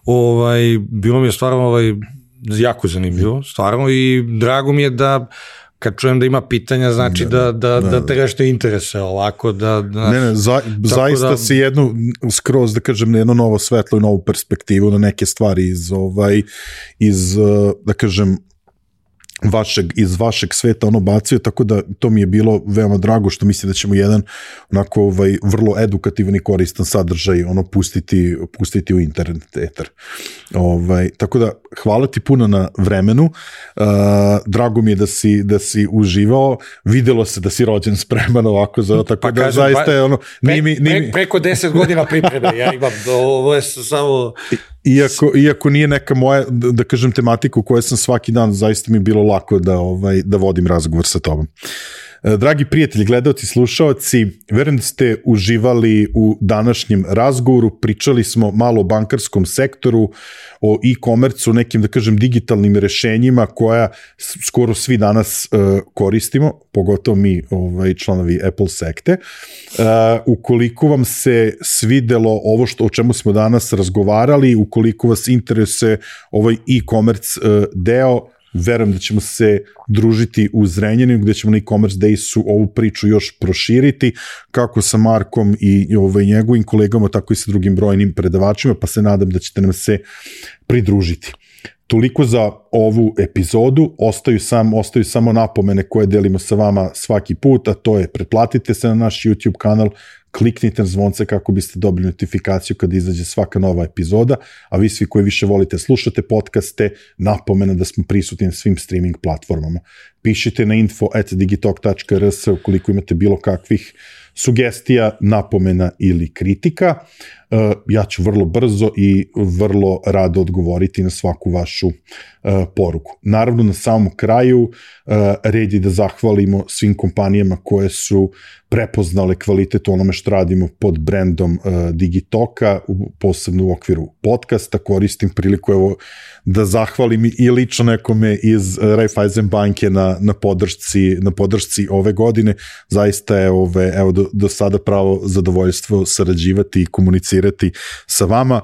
Ovaj, bilo mi je stvarno ovaj, jako zanimljivo, stvarno, i drago mi je da kad čujem da ima pitanja, znači da, da, da, da te nešto interese ovako, da... da ne, ne, za, zaista da, si jednu, skroz da kažem, jedno novo svetlo i novu perspektivu na neke stvari iz, ovaj, iz da kažem, vašeg, iz vašeg sveta ono bacio, tako da to mi je bilo veoma drago, što mislim da ćemo jedan onako ovaj, vrlo edukativan i koristan sadržaj ono pustiti, pustiti u internet eter. Ovaj, tako da hvala ti puno na vremenu, uh, drago mi je da si, da si uživao, videlo se da si rođen spreman ovako za tako pa da kažem, zaista je ono pre, mi, pre, preko deset godina pripreme, ja imam ovo je samo Iako, iako nije neka moja, da kažem, tematika u kojoj sam svaki dan, zaista mi je bilo lako da, ovaj, da vodim razgovor sa tobom. Dragi prijatelji, gledaoci, slušaoci, verujem da ste uživali u današnjem razgovoru, pričali smo malo o bankarskom sektoru, o e-komercu, nekim, da kažem, digitalnim rešenjima koja skoro svi danas uh, koristimo, pogotovo mi ovaj, članovi Apple sekte. Uh, ukoliko vam se svidelo ovo što, o čemu smo danas razgovarali, ukoliko vas interesuje ovaj e-commerce uh, deo, verujem da ćemo se družiti u Zrenjaninu, gde ćemo na e-commerce Daysu ovu priču još proširiti, kako sa Markom i ovaj, njegovim kolegama, tako i sa drugim brojnim predavačima, pa se nadam da ćete nam se pridružiti. Toliko za ovu epizodu, ostaju, sam, ostaju samo napomene koje delimo sa vama svaki put, a to je pretplatite se na naš YouTube kanal, kliknite na zvonce kako biste dobili notifikaciju kada izađe svaka nova epizoda, a vi svi koji više volite slušate podcaste, napomena da smo prisutni na svim streaming platformama. Pišite na info at digitalk tačka r s ukoliko imate bilo kakvih sugestija, napomena ili kritika. Ja ću vrlo brzo i vrlo rado odgovoriti na svaku vašu poruku. Naravno, na samom kraju red je da zahvalimo svim kompanijama koje su prepoznale kvalitet onome što radimo pod brandom Digitoka, posebno u okviru podcasta. Koristim priliku evo da zahvalim i lično nekome iz Raiffeisen banke na, na, podršci, na podršci ove godine. Zaista je ove, evo, do, do sada pravo zadovoljstvo sarađivati i komunicirati sa vama.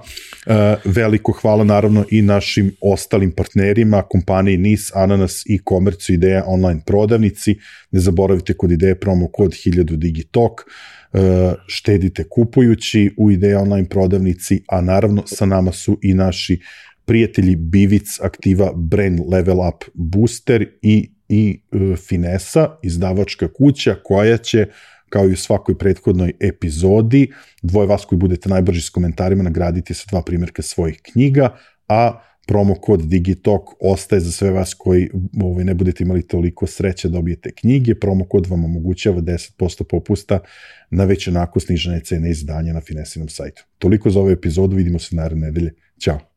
E, veliko hvala naravno i našim ostalim partnerima, kompaniji N I S, Ananas i Komercu Ideja online prodavnici. Ne zaboravite kod Ideje promo kod hiljadu Digitalk. E, štedite kupujući u Ideja online prodavnici, a naravno sa nama su i naši prijatelji Bivic, Aktiva, Brain Level Up Booster i, i e, Finesa, izdavačka kuća koja će, kao i u svakoj prethodnoj epizodi, dvoje vas koji budete najbrži s komentarima nagraditi sa dva primjerka svojih knjiga, a promo kod Digitalk ostaje za sve vas koji ovaj, ne budete imali toliko sreće dobijete knjige. Promo kod vam omogućava deset posto popusta na već onako snižene cene izdanja na Finesinom sajtu. Toliko za ovu epizodu, vidimo se naredne nedelje. Ćao!